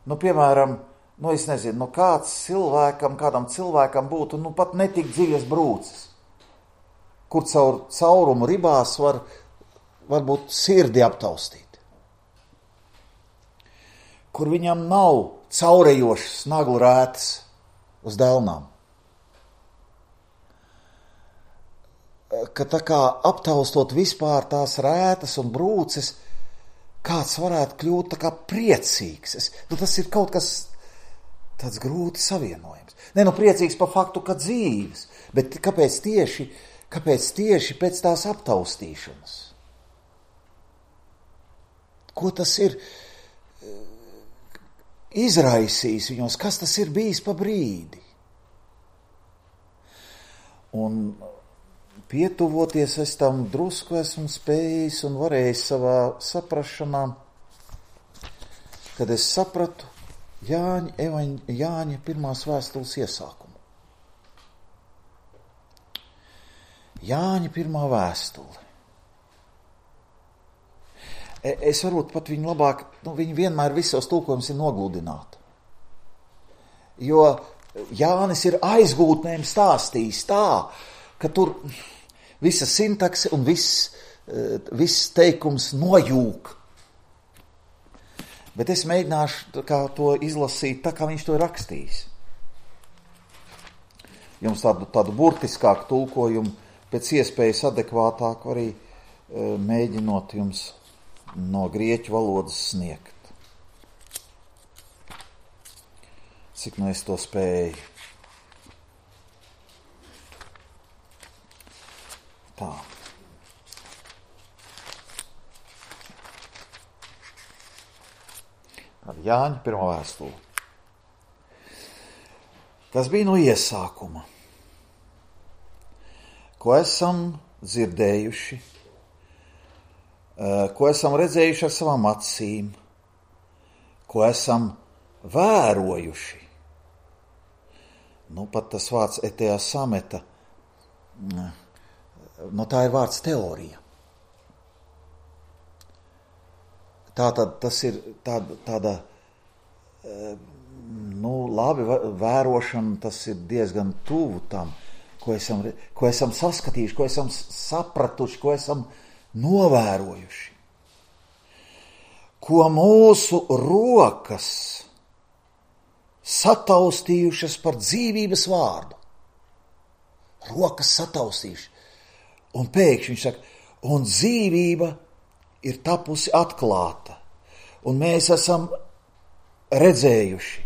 Nu, piemēram, nu, es nezinu, nu, kāds cilvēkam, kādam cilvēkam būtu, nu, pat netik dziļas brūces, kur caur caurumu ribās var, varbūt sirdi aptaustīt. Kur viņam nav caurejošas naglu rētas uz delnām. Ka tā kā aptaustot vispār tās rētas un brūces, kāds varētu kļūt tā kā priecīgs. Es, nu, tas ir kaut kas tāds grūti savienojams. Ne, nu priecīgs par faktu, ka dzīves, bet kāpēc tieši, kāpēc tieši pēc tās aptaustīšanas? Ko tas ir izraisījis viņos? Kas tas ir bijis pa brīdi? Un pietuvoties es tam drusku esmu spējis un varējis savā saprašanā, kad es sapratu Jāņa, evaņ, Jāņa pirmās vēstules iesākumu. Jāņa pirmā vēstule. Es varbūt pat viņu labāk, nu, viņi vienmēr visos tulkojums ir nogludināti. Jo Jānis ir aizgūtnēm stāstījis tā, ka tur visa sintakse un viss, viss teikums nojūk. Bet es mēģināšu kā to izlasīt tā, kā viņš to ir rakstījis. Jums tādu, tādu burtiskāku tulkojumu pēc iespējas adekvātāku arī e, mēģinot jums no grieķu valodas sniegt. Cik nu es to spēju. Tā. Jāņa pirmā vēstule. Tas bija no iesākuma, ko esam dzirdējuši, ko esam redzējuši ar savām acīm, ko esam vērojuši. Nu, pat tas vārds etejā sameta, no tā ir vārds teorija. Tātad tas ir tāda, tāda nu, labi vērošana, tas ir diezgan tuvu tam, ko esam, ko esam saskatījuši, ko esam sapratuši, ko esam novērojuši. Ko mūsu rokas sataustījušas par dzīvības vārdu. Rokas sataustījušas. Un pēkšņi viņš saka, un dzīvība ir tapusi atklāta, un mēs esam redzējuši,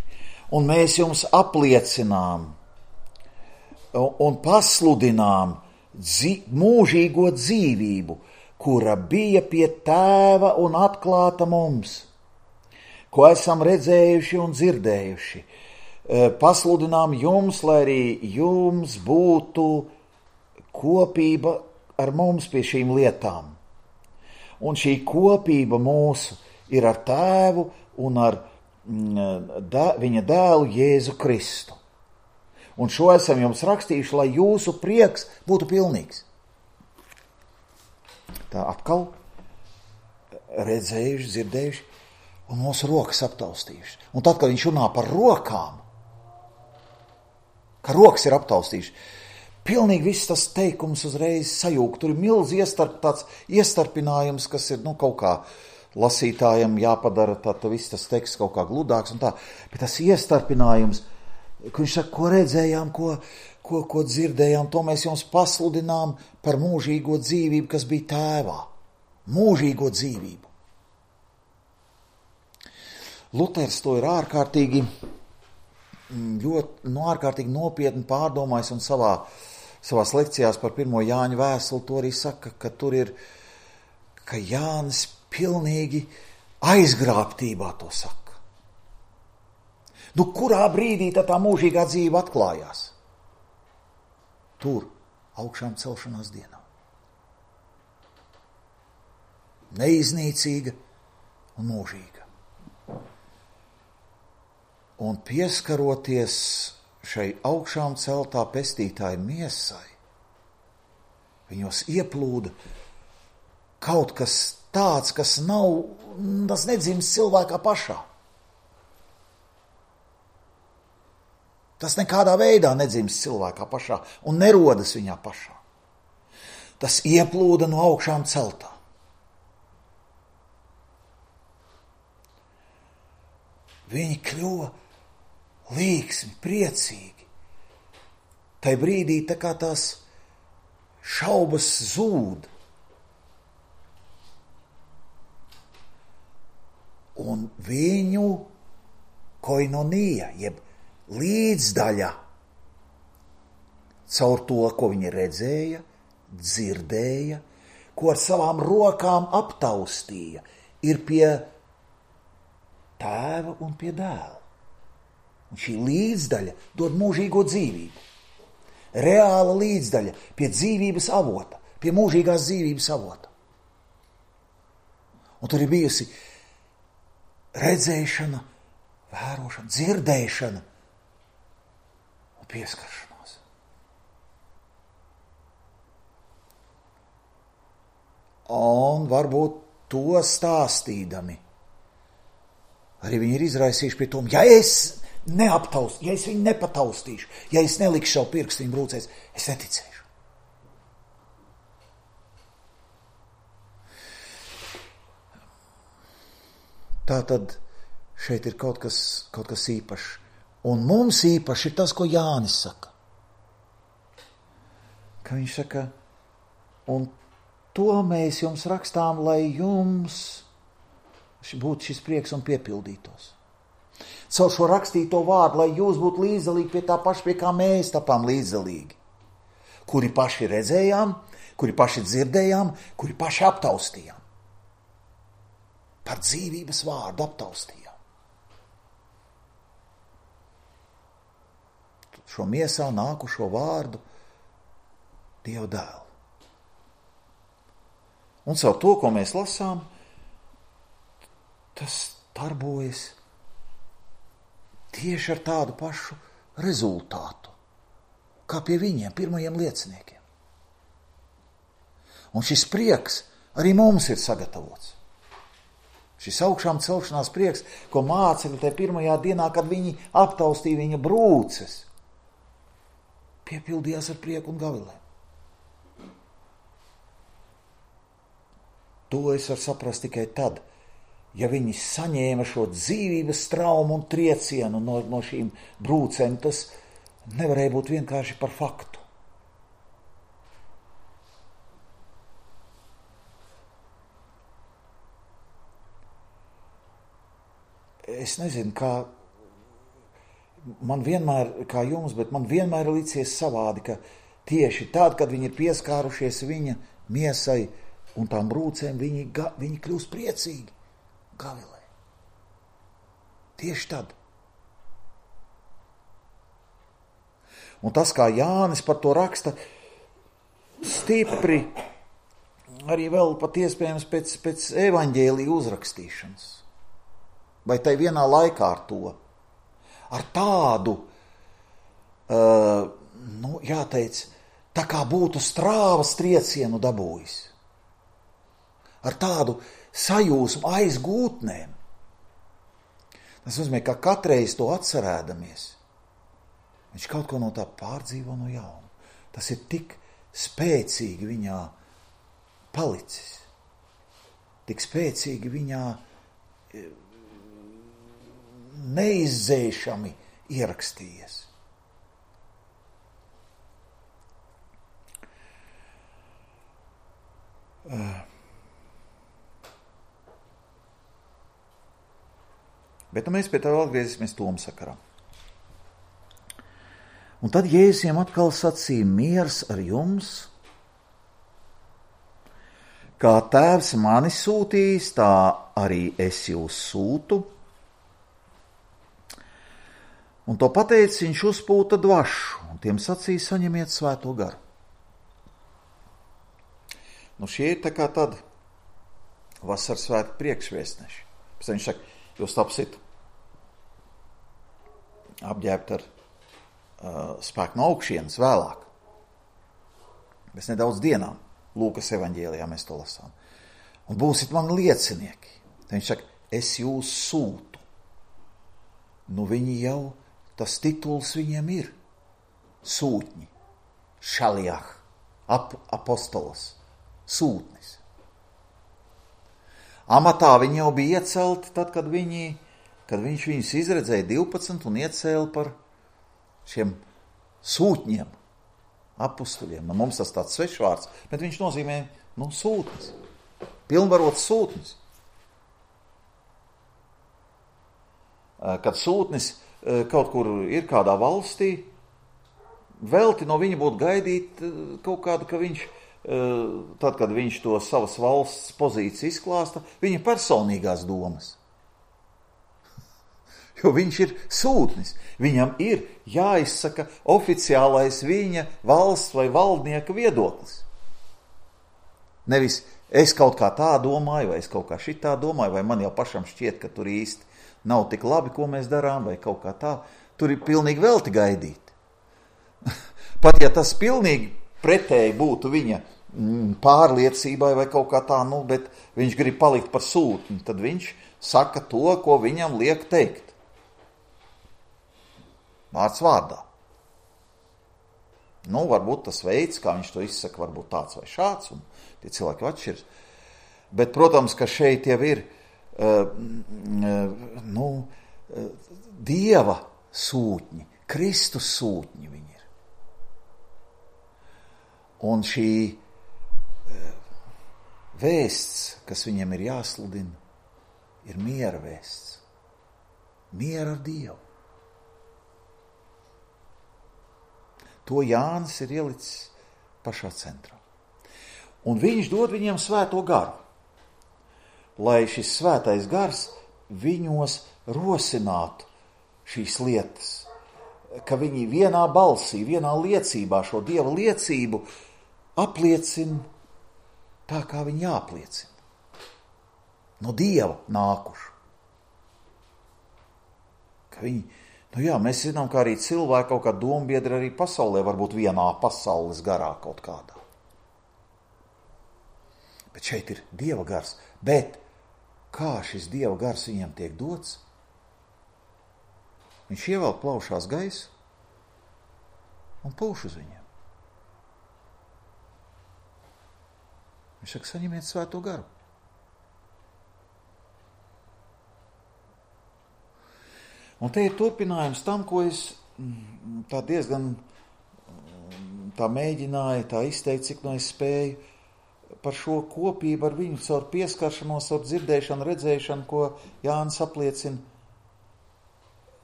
un mēs jums apliecinām un pasludinām dzī, mūžīgo dzīvību, kura bija pie tēva un atklāta mums, ko esam redzējuši un dzirdējuši. Pasludinām jums, lai arī jums būtu kopība ar mums pie šīm lietām. Un šī kopība mūsu ir ar tēvu un ar dē, viņa dēlu Jēzu Kristu. Un šo esam jums rakstījuši, lai jūsu prieks būtu pilnīgs. Tā atkal redzējuši, dzirdējuši un mūsu rokas aptaustījuši. Un tad, kad viņš runā par rokām, ka rokas ir aptaustījuši, pilnīgi viss tas teikums uzreiz sajūg. Tur ir milz iestarp, tāds iestarpinājums, kas ir nu, kaut kā lasītājiem jāpadara, tā, tā viss tas teksts kaut kā gludāks un tā. Bet tas iestarpinājums, ka viņš saka, ko redzējām, ko, ko, ko dzirdējām, to mēs jums pasludinām par mūžīgo dzīvību, kas bija tēvā. Mūžīgo dzīvību. Luters to ir ārkārtīgi, ļoti, no ārkārtīgi nopietni pārdomājis un savā Savās lekcijās par pirmo Jāņa vēstuli to arī saka, ka tur ir, ka Jānis pilnīgi aizgrābtībā to saka. Nu, kurā brīdī tā, tā mūžīgā dzīve atklājās? Tur, augšām celšanās dienā. Neiznīcīga un mūžīga. Un pieskaroties šai augšām celtā pestītāja miesai, Viņos ieplūda kaut kas tāds, kas nav, tas nedzimst cilvēkā pašā. Tas nekādā veidā nedzimst cilvēkā pašā un nerodas viņā pašā. Tas ieplūda no augšām celtā. Viņi kļuva līksmi, priecīgi. Tai brīdī tā kā tās šaubas zūd. Un viņu koinonija, jeb līdzdaļa, caur to, ko viņi redzēja, dzirdēja, ko ar savām rokām aptaustīja, ir pie tēva un pie dēla. Un šī līdzdaļa dod mūžīgo dzīvību. Reāla līdzdaļa pie dzīvības avota, pie mūžīgās dzīvības avota. Un tur ir bijusi redzēšana, vērošana, dzirdēšana un pieskaršanās. Un varbūt to stāstīdami arī viņi ir izraisījuši pie tom, ja es neaptaust, ja es viņu nepataustīšu, ja es nelikšu savu pirkstu viņu brūcēs, es neticēšu. Tā tad šeit ir kaut kas, kaut kas īpašs. Un mums īpaši ir tas, ko Jānis saka. Ka viņš saka, un to mēs jums rakstām, lai jums būtu šis prieks un piepildītos. Caur šo rakstīto vārdu, lai jūs būtu līdzdalīgi pie tā paša, pie kā mēs tapām līdzdalīgi. Kuri paši redzējām, kuri paši dzirdējām, kuri paši aptaustījām. Par dzīvības vārdu aptaustījām. Šo miesā nākušo vārdu Dieva dēlu. Un caur to, ko mēs lasām, tas darbojas tieši ar tādu pašu rezultātu, kā pie viņiem, pirmajiem lieciniekiem. Un šis prieks arī mums ir sagatavots. Šis augšām celšanās prieks, ko mācekļi tajā pirmajā dienā, kad viņi aptaustīja viņa brūces, piepildījās ar prieku un gavilēm. To es varu saprast tikai tad, ja viņi saņēma šo dzīvības traumu un triecienu no, no šīm brūcēm, tas nevarēja būt vienkārši par faktu. Es nezinu, kā man vienmēr, kā jums, bet man vienmēr ir licies savādi, ka tieši tad, kad viņi ir pieskārušies viņa miesai un tām brūcēm, viņi, ga, viņi kļūst priecīgi. Gavilē. Tieši tad. Un tas, kā Jānis par to raksta, stipri arī vēl pat iespējams pēc, pēc evaņģēlija uzrakstīšanas. Vai tai vienā laikā ar to. Ar tādu, uh, nu, jāteic, tā kā būtu strāvas triecienu dabūjis. Ar tādu sajūsmu aiz gūtnēm. Tas nozīmē, ka katreiz to atcerēdamies, viņš kaut ko no tā pārdzīvo no jauna. Tas ir tik spēcīgi viņā palicis, tik spēcīgi viņā neizdzēšami ierakstījies. Uh. Bet nu, mēs pie tā vēl atgriezīsimies Toma sakarā. Un tad Jēzus viņiem atkal sacīja, miers ar jums, kā tēvs mani sūtījis, tā arī es jūs sūtu. Un to pateicis, viņš uzpūta dvašu, un tiem sacīja, saņemiet svēto garu. Nu šie ir tā kā tad vasaras svētku priekšvēstneši. Pēc viņš saka, jūs tapsit apģērbt ar uh, spēku no augšienes vēlāk. Mēs nedaudz dienām Lūkas evaņģēlijā mēs to lasām. Un būsit mani liecinieki. Tad viņš saka, es jūs sūtu. Nu viņi jau, tas tituls viņiem ir. Sūtņi. Šaljah. Ap, apostolos. Sūtnis. Amatā viņi jau bija iecelti tad, kad, viņi, kad viņš viņus izredzēja divpadsmit un iecēla par šiem sūtņiem, apustuļiem. Nu, mums tas tāds svešvārds, bet viņš nozīmē, nu, sūtnis. Pilnvarots sūtnis. Kad sūtnis kaut kur ir kādā valstī, velti no viņa būtu gaidīt kaut kādu, ka viņš, tad, kad viņš to savas valsts pozīciju izklāsta, viņa personīgās domas. Jo viņš ir sūtnis. Viņam ir jāizsaka oficiālais viņa valsts vai valdnieka viedoklis. Nevis es kaut kā tā domāju, vai es kaut kā šitā domāju, vai man jau pašam šķiet, ka tur īsti nav tik labi, ko mēs darām, vai kaut kā tā. Tur ir pilnīgi velti gaidīt. Pat ja tas pilnīgi pretēji būtu viņa pārliecībai vai kaut kā tā, nu, bet viņš grib palikt par sūtni, tad viņš saka to, ko viņam liek teikt. Vārds vārdā. Nu, varbūt tas veids, kā viņš to izsaka, varbūt tāds vai šāds, un tie cilvēki atšķiras. Bet, protams, ka šeit jau ir uh, nu, Dieva sūtņi, Kristus sūtņi viņi ir. Un šī uh, vēsts, kas viņiem ir jāsludina, ir miera vēsts. Miera ar Dievu. To Jānis ir ielicis pašā centrā. Un viņš dod viņiem svēto garu, lai šis svētais gars viņos rosinātu šīs lietas, ka viņi vienā balsī, vienā liecībā šo Dieva liecību apliecina tā, kā viņi jāapliecina. No Dieva nākuši. Ka viņi Nu jā, mēs zinām, ka arī cilvēki kaut kā dombiedri arī pasaulē var būt vienā pasaules garā kaut kādā. Bet šeit ir Dieva gars. Bet kā šis Dieva gars viņiem tiek dots? Viņš ievelk plaušās gaisu un pūš uz viņiem. Viņš saka, saņemiet svēto garu. Un te ir turpinājums tam, ko es tā diezgan tā mēģināju, tā izteikt, cik no es spēju par šo kopību ar viņu caur pieskaršanos, caur dzirdēšanu, redzēšanu, ko Jānis apliecina.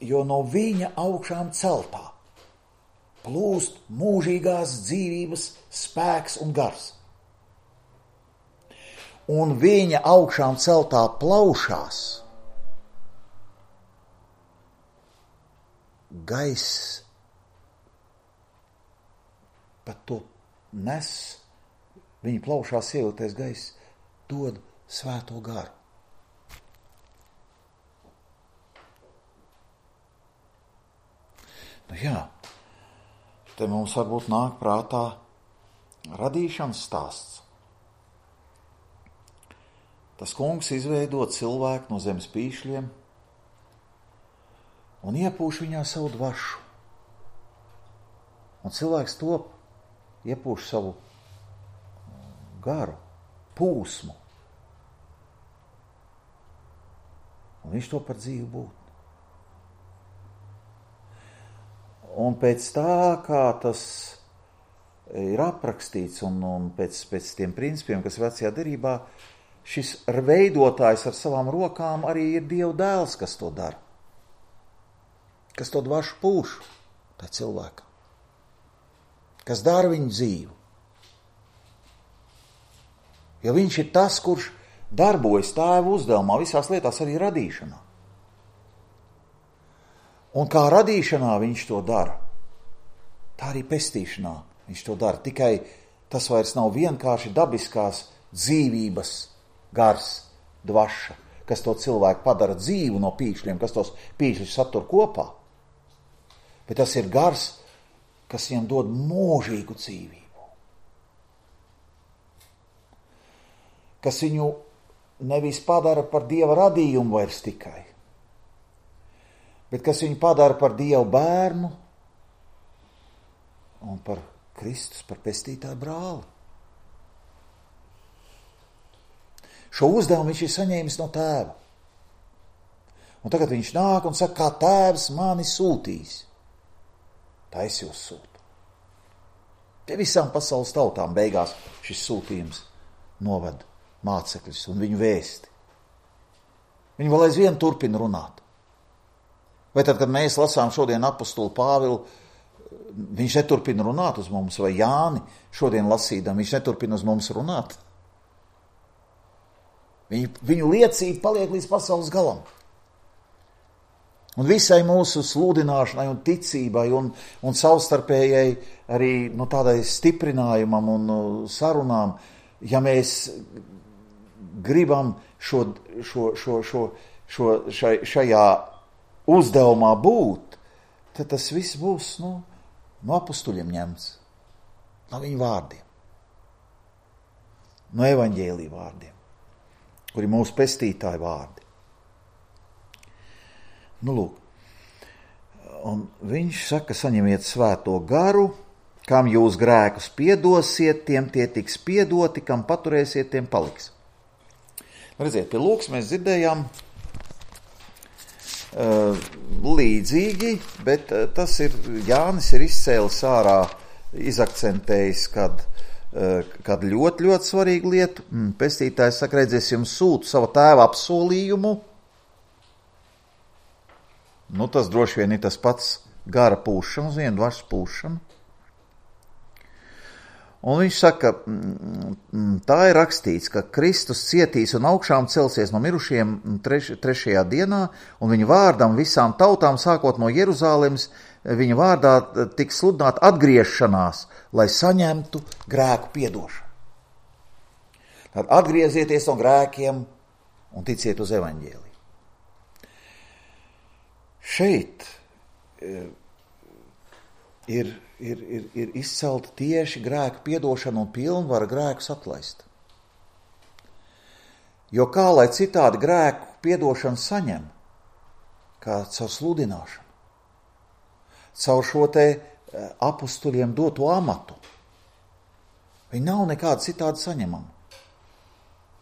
Jo no viņa augšām celtā plūst mūžīgās dzīvības spēks un gars. Un viņa augšām celtā plaušās gaiss pat to nes, viņa plaušās ievilktais gaiss dod svēto garu. Nu jā, te mums varbūt nāk prātā radīšanas stāsts. Tas kungs izveido cilvēku no zemes pīšļiem un iepūš viņā savu dvašu. Un cilvēks top, iepūš savu garu, pūsmu. Un viņš to par dzīvu būtu. Un pēc tā, kā tas ir aprakstīts un, un pēc, pēc tiem principiem, kas vecajā derībā, šis veidotājs ar savām rokām arī ir Dieva dēls, kas to dara. Kas to dvašu pūš, tā cilvēka. Kas dara viņu dzīvu. Jo viņš ir tas, kurš darbojas Tēva uzdevumā, visās lietās arī radīšanā. Un kā radīšanā viņš to dara, tā arī pestīšanā viņš to dara. Tikai tas vairs nav vienkārši dabiskās dzīvības gars, dvaša, kas to cilvēku padara dzīvu no pīšļiem, kas tos pīšļus satur kopā. Bet tas ir gars, kas viņam dod mūžīgu dzīvību. kas viņu nevis padara par Dieva radījumu vairs tikai, bet kas viņu padara par Dievu bērnu un par Kristus, par pestītāju brāli. Šo uzdevumu viņš ir saņēmis no tēva. Un tagad viņš nāk un saka, kā tēvs mani sūtīs, tā es jūs sūtu. Pie visām pasaules tautām beigās šis sūtījums noved mācekļus un viņu vēsti. Viņi vēl aizvien turpina runāt. Vai tad, kad mēs lasām šodien apostulu Pāvilu, viņš neturpina runāt uz mums, vai Jāni šodien lasīdam, viņš neturpina uz mums runāt? Viņu, viņu liecība paliek līdz pasaules galam. Un visai mūsu sludināšanai un ticībai un, un savstarpējai arī nu, tādai stiprinājumam un sarunām, ja mēs gribam šo, šo, šo, šo, šo, šai, šajā uzdevumā būt, tad tas viss būs nu, no apustuļiem ņemts, no viņu vārdiem, no evaņģēlī vārdiem, kuri mūsu pestītāji vārdi. Nu, lūk, un viņš saka, saņemiet svēto garu, kam jūs grēkus piedosiet, tiem tie tiks piedoti, kam paturēsiet, tiem paliks. Redziet, pie lūks mēs dzirdējām uh, līdzīgi, bet uh, tas ir, Jānis ir izcēlis ārā, izakcentējis, kad, uh, kad ļoti, ļoti svarīgu lietu. Mm, pestītājs saka, redzies, jums sūtu savu tēva apsolījumu. Nu, tas droši vien ir tas pats gara pūšana, uz vienu dvaras pūšana. Un viņš saka, tā ir rakstīts, ka Kristus cietīs un augšām celsies no mirušiem treš, trešajā dienā, un viņa vārdam visām tautām, sākot no Jeruzālemes, viņa vārdā tiks sludināta atgriešanās, lai saņemtu grēku piedošanu. Tad atgriezieties no grēkiem un ticiet uz evaņģēliju. Šeit ir, ir, ir, ir izcelta tieši grēku piedošana un pilnvara grēkus atlaist. Jo kā lai citādi grēku piedošanu saņem, kā caur sludināšanu, caur šo te apustuļiem doto amatu. Viņi nav nekādi citādi saņemami.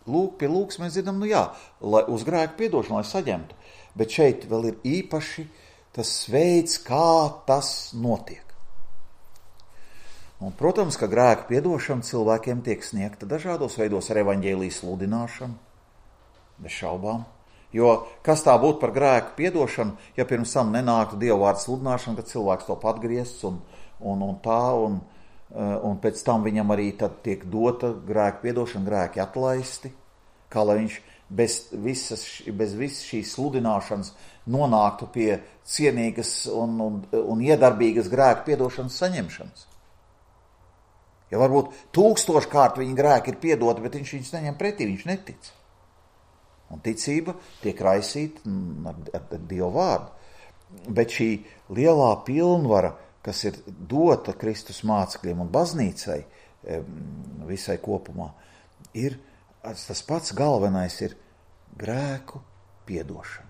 Lūk, pie lūks mēs dzirdam, nu jā, lai uz grēku piedošanu, lai saņemtu. Bet šeit vēl ir īpaši tas veids, kā tas notiek. Un, protams, ka grēku piedošana cilvēkiem tiek sniegta dažādos veidos ar evaņģēlijas sludināšanu, bez šaubām. Jo kas tā būtu par grēku piedošanu, ja pirms tam nenāktu Dieva vārda sludināšana, kad cilvēks to atgriezts un, un, un tā, un, un pēc tam viņam arī tad tiek dota grēku piedošana, grēki atlaisti, kā lai viņš bez visas, bez visas šīs sludināšanas nonāktu pie cienīgas un, un, un iedarbīgas grēku piedošanas saņemšanas. Ja varbūt tūkstoškārt viņa grēki ir piedoti, bet viņš viņus neņem pretī, viņš netic. Un ticība tiek raisīta ar, ar, ar Dievu vārdu. Bet šī lielā pilnvara, kas ir dota Kristus mācekļiem un baznīcai visai kopumā, ir tas pats galvenais ir grēku piedošana.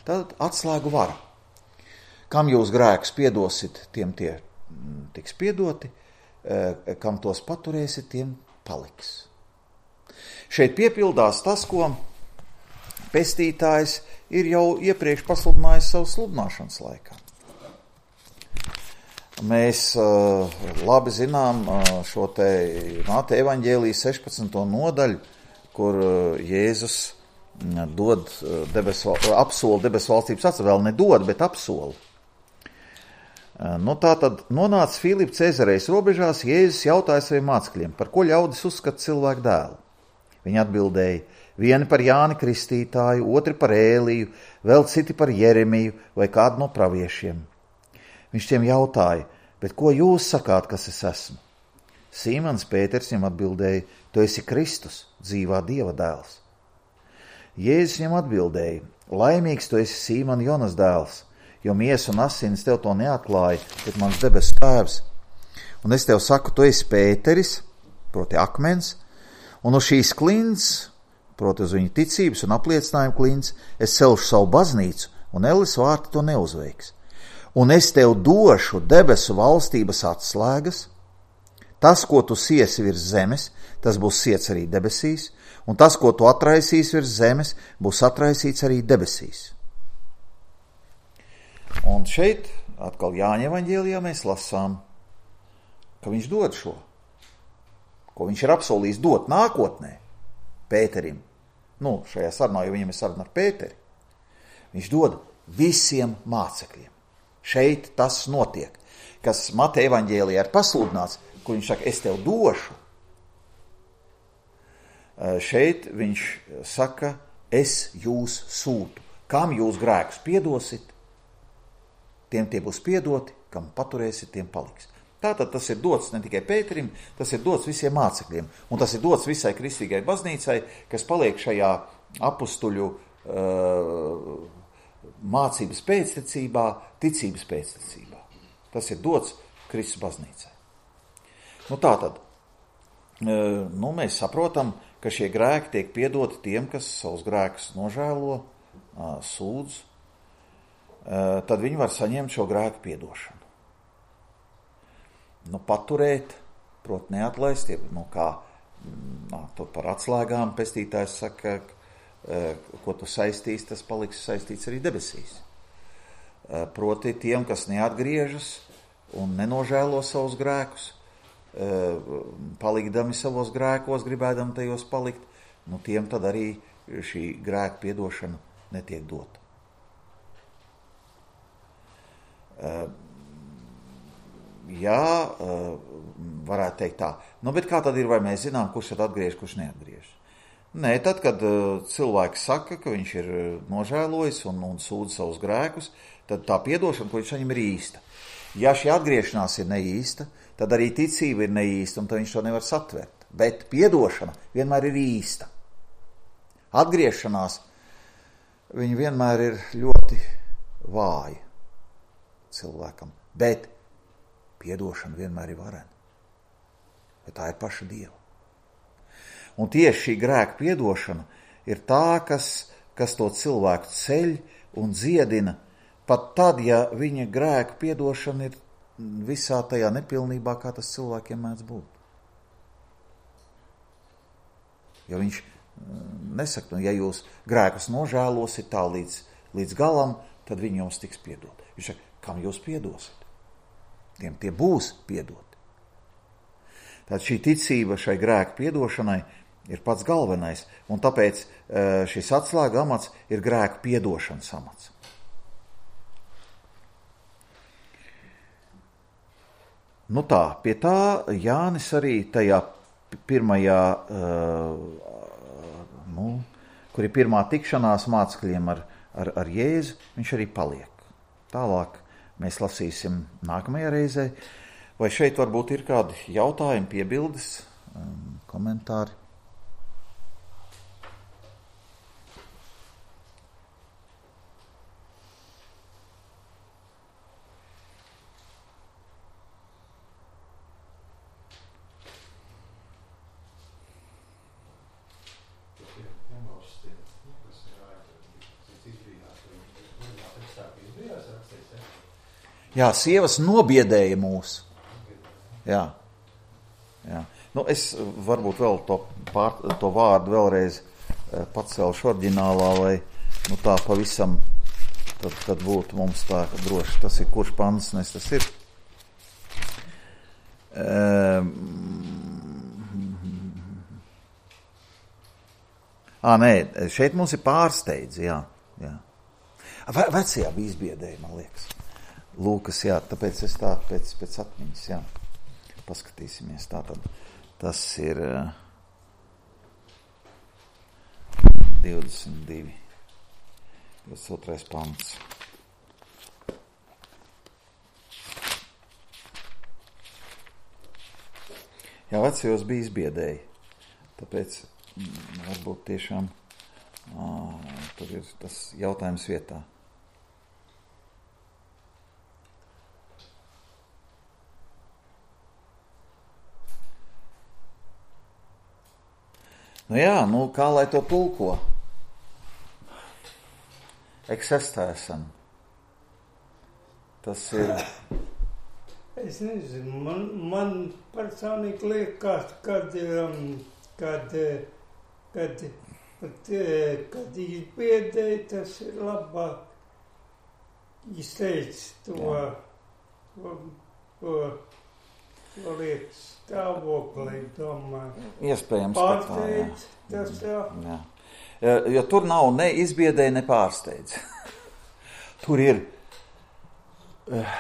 Tad atslēgu vara. Kam jūs grēkus piedosit, tiem tie tiks piedoti, kam tos paturēsit, tiem paliks. Šeit piepildās tas, ko pestītājs ir jau iepriekš pasludinājis savu sludināšanas laikā. Mēs uh, labi zinām uh, šo te Māte evaņģēlijas sešpadsmito nodaļu, kur uh, Jēzus uh, dod uh, debes, apsoli debesu valstības atstāju, vēl nedod, bet apsoli. Uh, nu tā tad nonāca Filipa Cezarejas robežās, Jēzus jautāja saviem mācekļiem, par ko ļaudis uzskata cilvēku dēlu. Viņi atbildēja, vieni par Jāni Kristītāju, otri par Ēliju, vēl citi par Jeremiju vai kādu no praviešiem. Viņš tiem jautāja, bet ko jūs sakāt, kas es esmu? Sīmans Pēters viņam atbildēja, tu esi Kristus, dzīvā Dieva dēls. Jēzus viņam atbildēja, laimīgs tu esi Sīmana Jonas dēls, jo miesa un asins tev to neatklāja, bet mans debesu tēvs. Un es tev saku, tu esi Pēteris, proti akmens, Un uz šīs klints, proti uz viņu ticības un apliecinājumu klints, es celšu savu baznīcu, un Elles vārti to neuzveiks. Un es tev došu debesu valstības atslēgas, tas, ko tu siesi virs zemes, tas būs siets arī debesīs, un tas, ko tu atraisīs virs zemes, būs atraisīts arī debesīs. Un šeit atkal Jāņa evaņģēlijā mēs lasām, ka viņš dod šo, ko viņš ir apsolījis dot nākotnē Pēterim. Nu, šajā sarunā, jo viņam ir saruna ar Pēteri. Viņš dod visiem mācekļiem. Šeit tas notiek, kas Mateja evaņģēlijā ir pasludināts, kur viņš saka, es tev došu. Šeit viņš saka, es jūs sūtu. Kam jūs grēkus piedosit, tiem tie būs piedoti, kam paturēsit, tiem paliks. Tātad tas ir dots ne tikai Pēterim, tas ir dots visiem mācekļiem, un tas ir dots visai kristīgai baznīcai, kas paliek šajā apustuļu uh, mācības pēctecībā, ticības pēctecībā. Tas ir dots Kristus baznīcai. Nu tātad, uh, nu mēs saprotam, ka šie grēki tiek piedoti tiem, kas savus grēkus nožēlo, uh, sūdz, uh, tad viņi var saņemt šo grēku piedošanu. Nu, paturēt, prot neatlaist, nu, kā nā, to par atslēgām pestītājs saka, ko tu saistīs, tas paliks saistīts arī debesīs. Proti tiem, kas neatgriežas un nenožēlo savus grēkus, palikdami savos grēkos, gribēdami tajos palikt, nu, tiem tad arī šī grēka piedošana netiek dota. Jā, varētu teikt tā. Nu, bet kā tad ir, vai mēs zinām, kurš tad atgriež, kurš neatgriež? Nē, tad, kad cilvēks saka, ka viņš ir nožēlojis un, un sūdz savus grēkus, tad tā piedošana, ko viņš saņem, ir īsta. Ja šī atgriešanās ir neīsta, tad arī ticība ir neīsta, un tad viņš to nevar satvert. Bet piedošana vienmēr ir īsta. Atgriešanās viņa vienmēr ir ļoti vāja cilvēkam, bet piedošana vienmēr ir varena. Bet tā ir paša Dieva. Un tieši šī grēka piedošana ir tā, kas, kas to cilvēku ceļ un dziedina, pat tad, ja viņa grēka piedošana ir visā tajā nepilnībā, kā tas cilvēkiem mēdz būt. Jo viņš nesaka, nu, ja jūs grēkus nožēlosit tā līdz, līdz galam, tad viņi jums tiks piedot. Viņš saka, kam jūs piedosit? Tiem tie būs piedoti. Tātad šī ticība šai grēku piedošanai ir pats galvenais, un tāpēc šis atslēga amats ir grēku piedošanas amats. Nu tā, pie tā Jānis arī tajā pirmajā, nu, kur ir pirmā tikšanās mācekļiem ar, ar, ar Jēzu, viņš arī paliek. Tālāk mēs lasīsim nākamajā reizē. Vai šeit varbūt ir kādi jautājumi, piebildes, komentāri? Jā, sievas nobiedēja mūs. Jā. Jā. Nu, es varbūt vēl to, pār, to vārdu vēlreiz pacelšu oriģinālā, lai nu, tā pavisam tad, tad būtu mums tā droši. Tas ir kurš pants, nes tas ir. Um, ā, nē, šeit mums ir pārsteidzi, jā. jā. Ve, vecajā bija izbiedēja, man liekas. Lūkas, jā, tāpēc es tā pēc, pēc atmiņas, jā, paskatīsimies. Tātad tas ir uh, divdesmit divi, divdesmit otrais pants. Jā, vecajos bija izbiedēji, tāpēc mm, varbūt tiešām uh, tur ir tas jautājums vietā. Nu jā, nu kā lai to tulko? Eksistēsim. Tas ir... Es nezinu, man, man personīgi liekas, kad, um, kad, kad, kad, kad izbiedēji, tas ir labāk izteikt to, to, to, to lietas stāvoklī, domāju. Iespējams, pārsteidz, tas jā. jā. Jo tur nav ne izbiedēji, ne pārsteidz. Tur ir uh,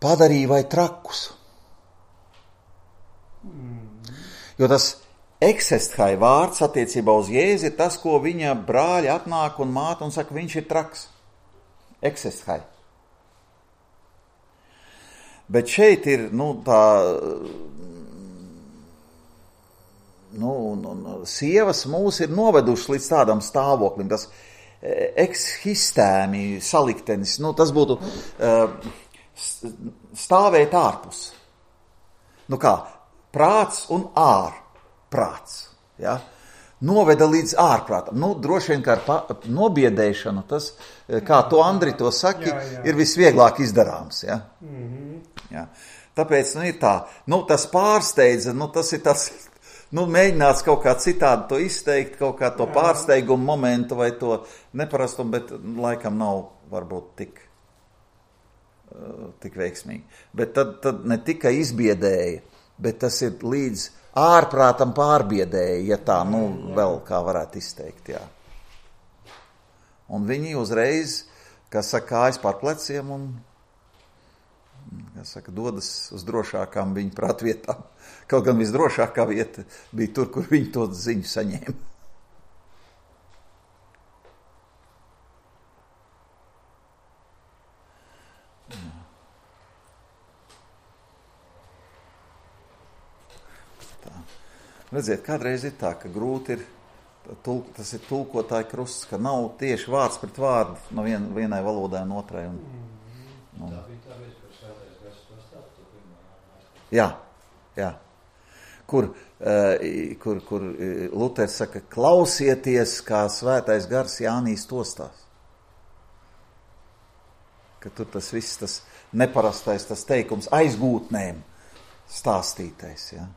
padarīja vai trakus. Mm. Jo tas eksesthai vārds attiecībā uz Jēzi ir tas, ko viņa brāļi atnāk un māte un saka, viņš ir traks. Eksesthai. Bet šeit ir, nu, tā, nu, nu, sievas mūs ir novedušas līdz tādam stāvoklim, tas ekshistēmi saliktenis, nu, tas būtu uh, stāvēt ārpus. Nu kā, prāts un ārprāts, ja? Noveda līdz ārprātam. Nu, droši vien, kā ar pa, nobiedēšanu, tas, kā to Andri to saki, jā, jā. Ir visvieglāk izdarāms, ja? Mm-hmm. Ja. Tāpēc, nu, ir tā, nu, tas pārsteidza, nu, tas ir tas, nu, mēģināts kaut kā citādi to izteikt, kaut kā to jā. Pārsteigumu momentu vai to neparastumu, bet laikam nav varbūt tik, uh, tik veiksmīgi. Bet tad, tad ne tikai izbiedēja, bet tas ir līdz ārprātam pārbiedēja, ja tā, nu, vēl kā varētu izteikt, jā. Un viņi uzreiz, kā saka, kājas pār pleciem un, kā saka, dodas uz drošākām viņa prātvietām. Kaut gan visdrošākā vieta bija tur, kur viņi to ziņu saņēma. Redziet, kādreiz ir tā, ka grūti ir, tulk, tas ir tulkotāja krusts, ka nav tieši vārds pret vārdu no vien, vienai valodai un otrai. Un, un, tā bija tā veids, kur svētais gars to stāstu. Jā, jā. Kur, uh, kur, kur Luters saka, klausieties, kā svētais gars Jānīs tostās. Ka tur tas viss, tas neparastais, tas teikums aizgūtnēm stāstītais, jā.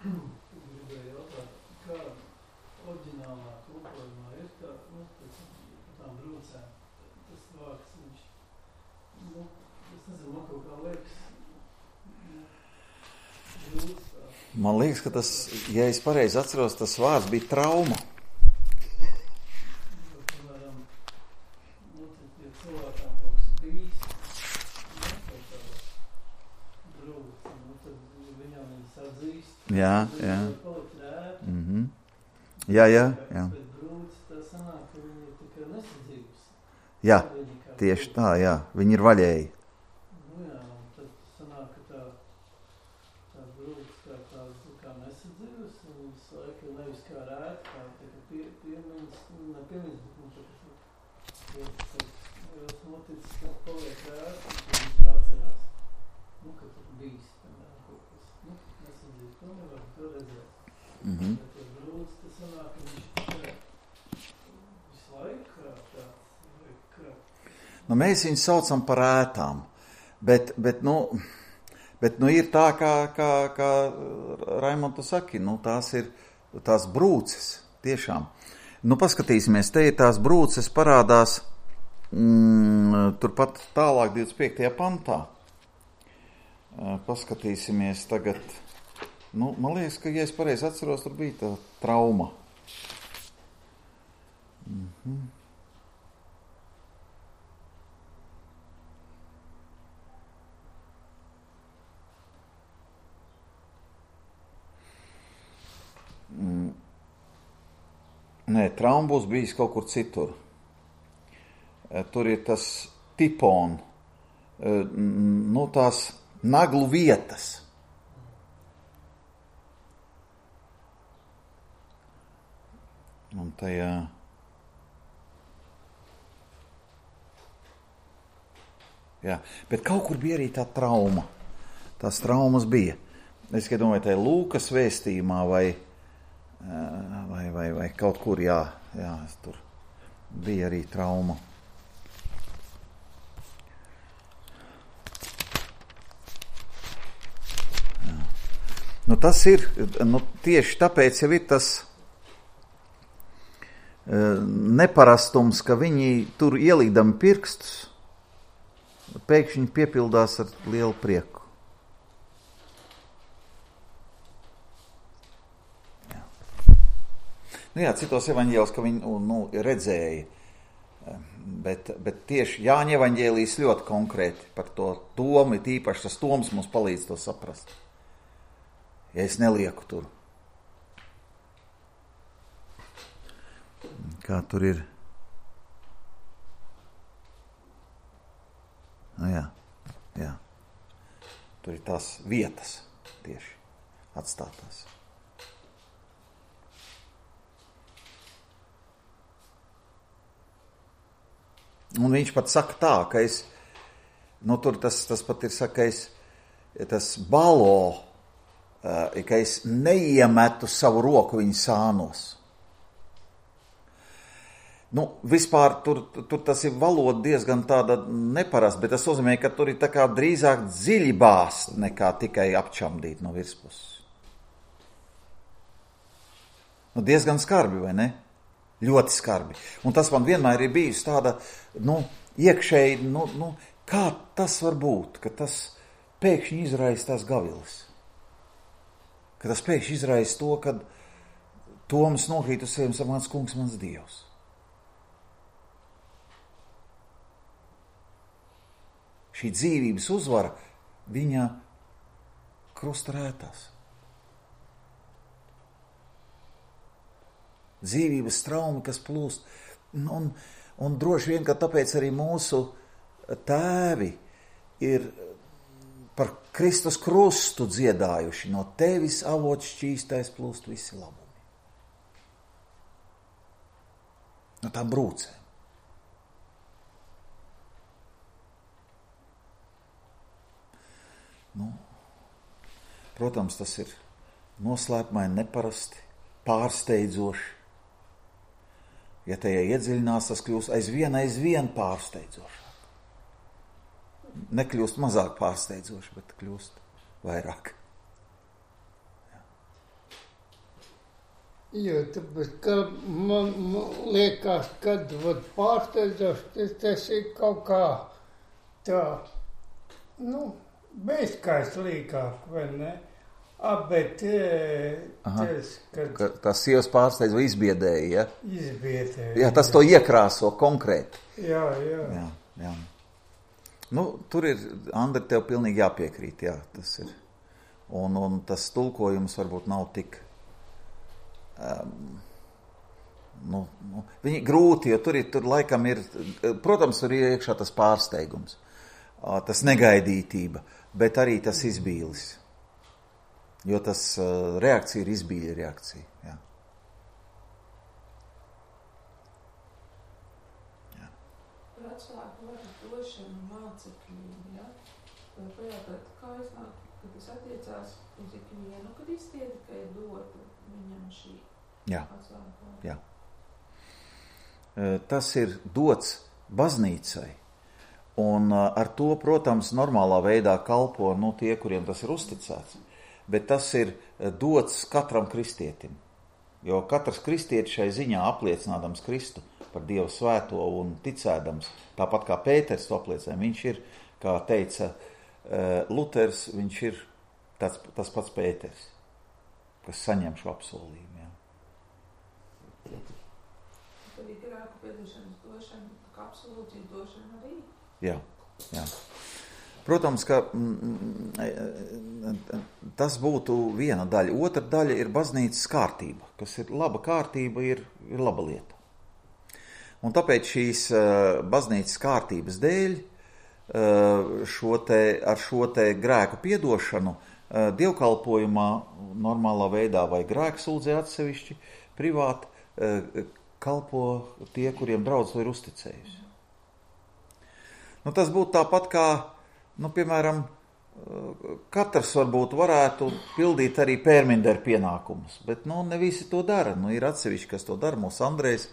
Gribēju jautāt, kā oriģinālā tulkojumā ir tā, nu, pēc tām brūcēm, tas vārds, viņš, nu, es nezinu, man kaut kā liekas, brūc tā. Man liekas, ka tas, ja es pareizi atceros, tas vārds bija trauma. Piemēram, nu, ja cilvēkām kaut kas bijis, nu, kaut kā brūc, nu, tad viņam viņas atzīst. Jā, jā. Mm-hmm. Jā, jā, jā. Bet brūci tā sanāk, ka viņi ir tikai nesadzīvus. Jā, tieši tā, jā. Viņi ir vaļēji. Nu jā, un tad sanāk, ka tā, tā brūci kā tā, kā nesadzīvus, un viņas laika nevis kā rēt, kā tā, ka pie, piemiņas, ne piemiņas, bet mums tā, ka tas noticis, ka paliek rēt, un tad viņš atcerās, nu, ka tur bijis. To nevar to redzēt. Mm-hmm. Bet ja brūds, tas sanāk, ka viņš visu laiku krāt tāds. Nu, mēs viņus saucam par ētām, bet, bet, nu, bet, nu, ir tā, kā, kā, kā Raimonds saki, nu, tās ir tās brūces, tiešām. Nu, paskatīsimies, te ir tās brūces parādās mm, turpat tālāk divdesmit piektajā pantā. Paskatīsimies tagad. Nu, man liekas, ka, ja es pareizi atceros, tur bija tā trauma. Mhm. Mm. Nē, trauma būs bijis kaut kur citur. Tur ir tas tipon, nu, tās naglu vietas. Un tajā Jā. Bet kaut kur bija arī tā trauma. Tās traumas bija. Es domāju, tā ir Lūkas vēstījumā vai, vai, vai, vai kaut kur, jā, jā, tur bija arī trauma. Jā. Nu, tas ir, nu, tieši tāpēc jau ir tas neparastums, ka viņi tur ielīdami pirkstus, pēkšņi piepildās ar lielu prieku. Jā, nu jā citos evaņģēlos, ka viņi nu, redzēja, bet, bet tieši Jāņa evaņģēlijs ļoti konkrēti par to Tomu, tīpaši tas Toms mums palīdz to saprast. Ja es nelieku tur. Kā tur ir? Nu jā, jā. Tur ir tās vietas tieši atstātās. Un viņš pat saka tā, ka es, nu tur tas, tas pat ir saka, es, tas balo, ka es neiemetu savu roku viņa sānos. Nu, vispār tur, tur tas ir valoda diezgan tāda neparasta, bet tas nozīmē, ka tur ir tā kā drīzāk dziļi bāzt, nekā tikai apčamdīt no virspuses. Nu, diezgan skarbi, vai ne? Ļoti skarbi. Un tas man vienmēr ir bijis tāda, nu, iekšēji, nu, nu, kā tas var būt, ka tas pēkšņi izraisa tās gaviles. Ka tas pēkšņi izraisa to, kad Toms nokrīt uz sevi un saka, mans kungs, mans Dievs. Šī dzīvības uzvara viņa krusta rētās. Dzīvības trauma, kas plūst. Un, un droši vien, ka tāpēc arī mūsu tēvi ir par Kristus krustu dziedājuši. No tevis avots šķīstais plūst visi labumi. No tām brūcēm. Nu, protams, tas ir noslēpmaini, neparasti, pārsteidzoši. Ja tajā iedziļinās, tas kļūst aizvien, aizvien pārsteidzošāk. Nekļūst mazāk pārsteidzoši, bet kļūst vairāk. Jā. Jo, tāpēc, ka man, man liekas, kad pārsteidzoši, tas, tas ir kaut kā tā, nu, bezkais līkāk, vai ne? A, bet tas, kad... Ka, tas sievas pārsteidz vai izbiedēja, ja? Izbiedēja. Jā, tas to iekrāso konkrēti. Jā, jā. Jā, jā. Nu, tur ir, Andri, tev pilnīgi jāpiekrīt, jā, tas ir. Un, un tas tulkojums varbūt nav tik... Um, nu, nu, viņi grūti, jo tur, ir, tur laikam ir... Protams, tur ir iekšā tas pārsteigums, tas negaidītība, bet arī tas izbīlis. Jo tas uh, reakcija ir izbīļa reakcija. Jā. Jā. Par atslēgu varu došanu mācekļiem, ja? Vai pajautāt, kā iznāk, ka tas attiecās uz ikvienu, kad iztieda, ka ir dota viņam šī Jā. atslēgu? Jā. Uh, tas ir dots baznīcai. Un uh, ar to, protams, normālā veidā kalpo nu, tie, kuriem tas ir uzticēts. Bet tas ir dots katram kristietim. Jo katrs kristietis šai ziņā apliecinādams Kristu par Dievu svēto un ticēdams, tāpat kā Pēters to apliecina, viņš ir, kā teica Luters, viņš ir tāds, tas pats Pēters, kas saņem šo apsolījumu. Jā. Tad ir grēku piedošanas došana, kā absolūcija došana arī? Jā, jā. Protams, ka mm, tas būtu viena daļa. Otra daļa ir baznīcas kārtība, kas ir laba kārtība, ir, ir laba lieta. Un tāpēc šīs uh, baznīcas kārtības dēļ uh, šo te, ar šo te grēku piedošanu uh, dievkalpojumā normālā veidā vai grēku sūdzē atsevišķi privāti uh, kalpo tie, kuriem draudz to ir uzticējusi. Nu, tas būtu tāpat kā, nu, piemēram, katrs varbūt varētu pildīt arī pērminderu pienākumus, bet, nu, ne visi to dara. Nu, ir atsevišķi, kas to dara, mūsu Andrejs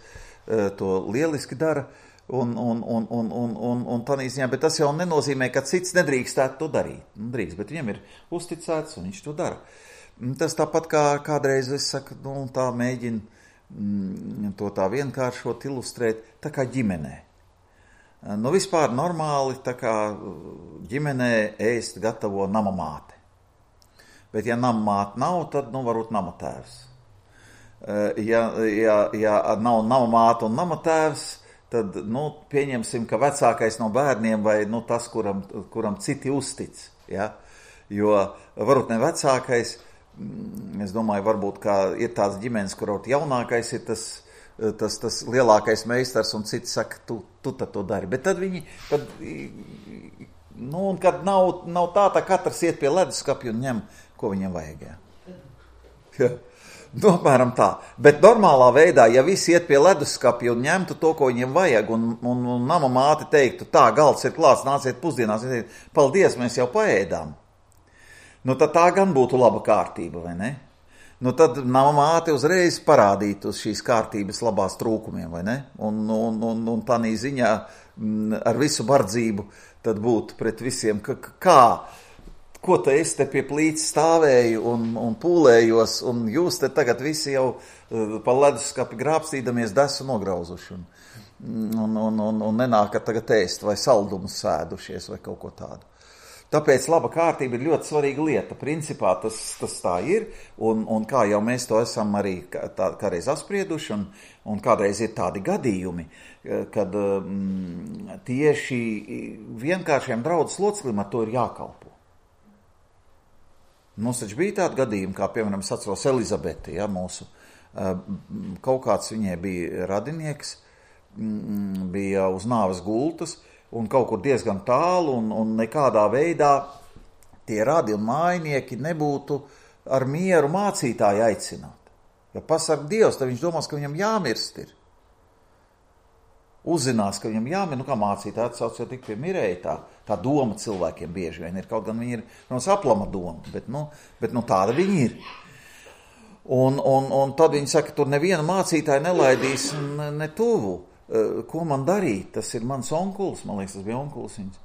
to lieliski dara, un, un, un, un, un, un, un tādā ziņā, bet tas jau nenozīmē, ka cits nedrīkstētu to darīt. Nu, drīkst, bet viņam ir uzticēts, un viņš to dara. Tas tāpat kā kādreiz, es saku, nu, tā mēģina mm, to tā vienkāršot, ilustrēt, tā kā ģimenē. Nu, vispār normāli, tā kā ģimenē ēst gatavo namamāte. Bet, ja namamāte nav, tad, nu, varbūt namatēvs. Ja, ja, ja nav namamāte un namatēvs, tad, nu, pieņemsim, ka vecākais no bērniem vai, nu, tas, kuram, kuram citi uztic, ja? Jo varbūt ne vecākais, es domāju, varbūt, kā ir tāds ģimenes, kur jaunākais ir tas, Tas, tas lielākais meistars, un citi saka, tu, tu tad to dari. Bet tad viņi, tad, nu, un kad nav, nav tā, tā katrs iet pie leduskapja un ņem, ko viņam vajag. Ja. Nu, apmēram tā. Bet normālā veidā, ja visi iet pie leduskapja un ņemtu to, ko viņiem vajag, un, un, un nama māte teiktu, tā, galds ir klāts, nāciet pusdienās, paldies, mēs jau paēdām. Nu, tad tā gan būtu laba kārtība, vai ne? Nu, tad nama māte uzreiz parādītu uz šīs kārtības labās trūkumiem, vai ne? Un, un, un, un tādā ziņā m, ar visu bardzību tad būtu pret visiem, ka, kā, ko te es te pie plīts stāvēju un, un pūlējos, un jūs te tagad visi jau uh, pa leduskapi grābstīdamies desu nograuzuši, un, un, un, un, un nenākat tagad ēst vai saldumus sēdušies vai kaut ko tādu. Tāpēc laba kārtība ir ļoti svarīga lieta. Principā tas, tas tā ir, un, un kā jau mēs to esam arī tā, kādreiz apsprieduši, un, un kādreiz ir tādi gadījumi, kad mm, tieši vienkāršiem draudzes loceklim ar to ir jākalpo. Mums taču bija tādi gadījumi, kā piemēram, es atceros Elizabeti, ja, mūsu, kaut kāds viņai bija radinieks, bija uz nāves gultas, un kaut kur diezgan tālu, un, un nekādā veidā tie radi un mājnieki nebūtu ar mieru mācītāju aicināt. Ja pasaka Dievs, tad viņš domās, ka viņam jāmirst ir. Uzzinās, ka viņam jāmirst, nu kā mācītāji atsauc jau tik pie mirēja, tā, tā doma cilvēkiem bieži vien ir, kaut gan viņi ir, protams, aplama doma, bet, nu, bet nu, tāda viņi ir. Un, un, un tad viņi saka, tur neviena mācītāja nelaidīs ne, ne tuvu. Ko man darīt? Tas ir mans onkulis, man liekas, tas bija onkulis viņas.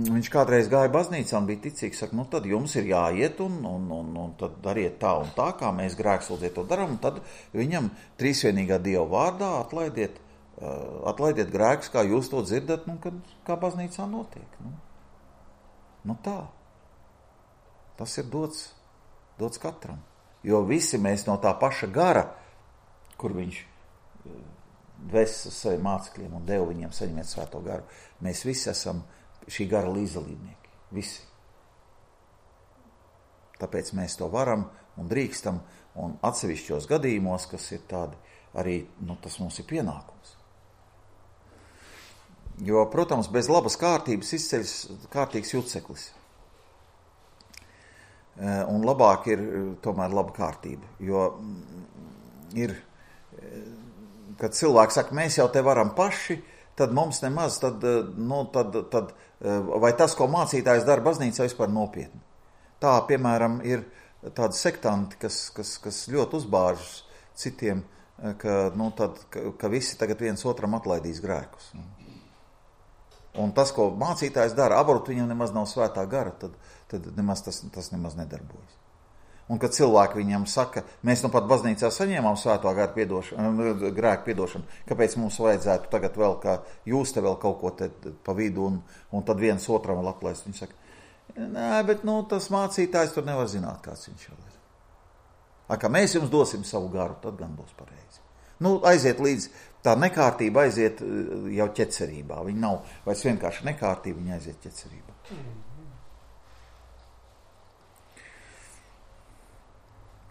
Viņš kādreiz gāja baznīcā un bija ticīgs, saka, nu tad jums ir jāiet un, un, un, un tad dariet tā un tā, kā mēs grēksūdziet to daram, un tad viņam trīsvienīgā Dieva vārdā atlaidiet, uh, atlaidiet grēkus, kā jūs to dzirdat, nu, kad, kā baznīcā notiek. Nu, nu tā. Tas ir dots, dots katram. Jo visi mēs no tā paša gara, kur viņš dvēsis uz saviem mācekļiem un deva viņiem saņemiet svēto garu. Mēs visi esam šī gara līdzdalībnieki. Visi. Tāpēc mēs to varam un drīkstam, un atsevišķos gadījumos, kas ir tādi, arī, nu, tas mums ir pienākums. Jo, protams, bez labas kārtības izceļas kārtīgs juceklis. Un labāk ir tomēr laba kārtība, jo ir... Kad cilvēki saka, mēs jau te varam paši, tad mums nemaz, tad, nu, tad, tad, vai tas, ko mācītājs dara baznīcā, vispār nopietni. Tā, piemēram, ir tādi sektanti, kas, kas, kas ļoti uzbāžas citiem, ka, nu, tad, ka, ka visi tagad viens otram atlaidīs grēkus. Un tas, ko mācītājs dara, aborut viņam nemaz nav svētā gara, tad, tad nemaz tas, tas nemaz nedarbojas. Un kad cilvēki viņam saka, mēs nu pat baznīcā saņēmām svēto garu piedošanu, grēku piedošanu, kāpēc mums vajadzētu tagad vēl, kā jūs te vēl kaut ko te pa vidu, un, un tad viens otram vēl atlaist. Viņi saka, nē, bet nu, tas mācītājs tur nevar zināt, kāds viņš vēl ir. A, ka mēs jums dosim savu garu, tad gan būs pareizi. Nu, aiziet līdz, tā nekārtība aiziet jau ķecerībā. Viņa nav vairs vienkārši nekārtība, viņa aiziet ķecerībā. Mm.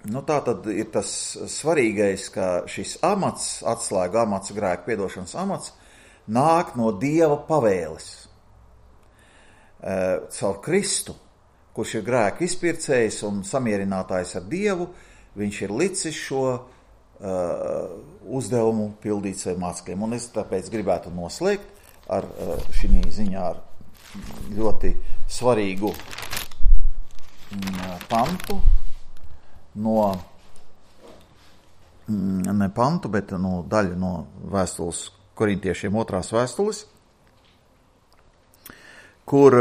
Nu, tā tad ir tas svarīgais, ka šis amats, atslēga amats, grēku piedošanas amats, nāk no Dieva pavēles. E, caur Kristu, kurš ir grēku izpircējs un samierinātājs ar Dievu, viņš ir licis šo uh, uzdevumu pildīt saviem mācekļiem. Un es tāpēc gribētu noslēgt ar šī ziņā ar ļoti svarīgu pantu no, ne pantu, bet no daļu no vēstules korintiešiem otrās vēstules, kur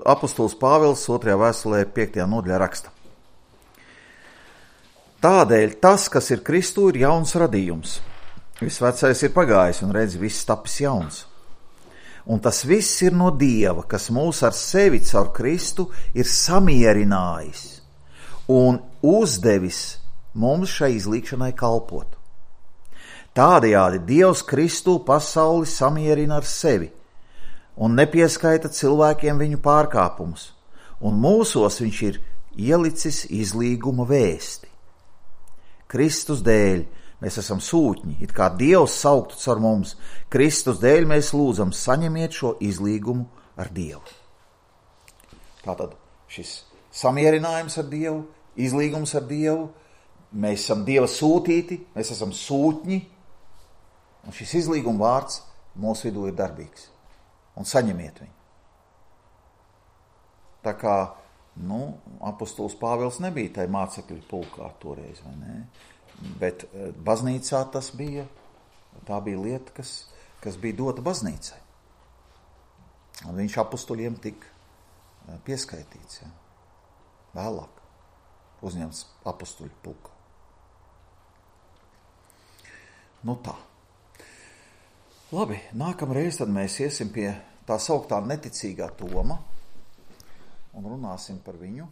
apostols Pāvils otrajā vēstulē piektajā nodaļā raksta. Tādēļ tas, kas ir Kristū, ir jauns radījums. Viss vecais ir pagājis un redz, viss tapis jauns. Un tas viss ir no Dieva, kas mūs ar sevi caur Kristu ir samierinājis un uzdevis mums šai izlīgšanai kalpot. Tādējādi Dievs Kristū pasauli samierina ar sevi un nepieskaita cilvēkiem viņu pārkāpumus, un mūsos viņš ir ielicis izlīguma vēsti. Kristus dēļ mēs esam sūtņi, it kā Dievs sauktu caur mums. Kristus dēļ mēs lūdzam, saņemiet šo izlīgumu ar Dievu. Tātad šis samierinājums ar Dievu, izlīgums ar Dievu, mēs esam Dieva sūtīti, mēs esam sūtņi, un šis izlīguma vārds mūsu vidū ir darbīgs. Un saņemiet viņu. Tā kā, nu, apostols Pāvils nebija tai mācekļu pulkā toreiz, vai ne? Bet baznīcā tas bija, tā bija lieta, kas, kas bija dota baznīcai. Un viņš apostoļiem tik pieskaitīts, ja? Vēlāk uzņemts apostoļu pulkā. Nu tā. Labi, nākamreiz tad mēs iesim pie tā sauktā neticīgā Toma un runāsim par viņu.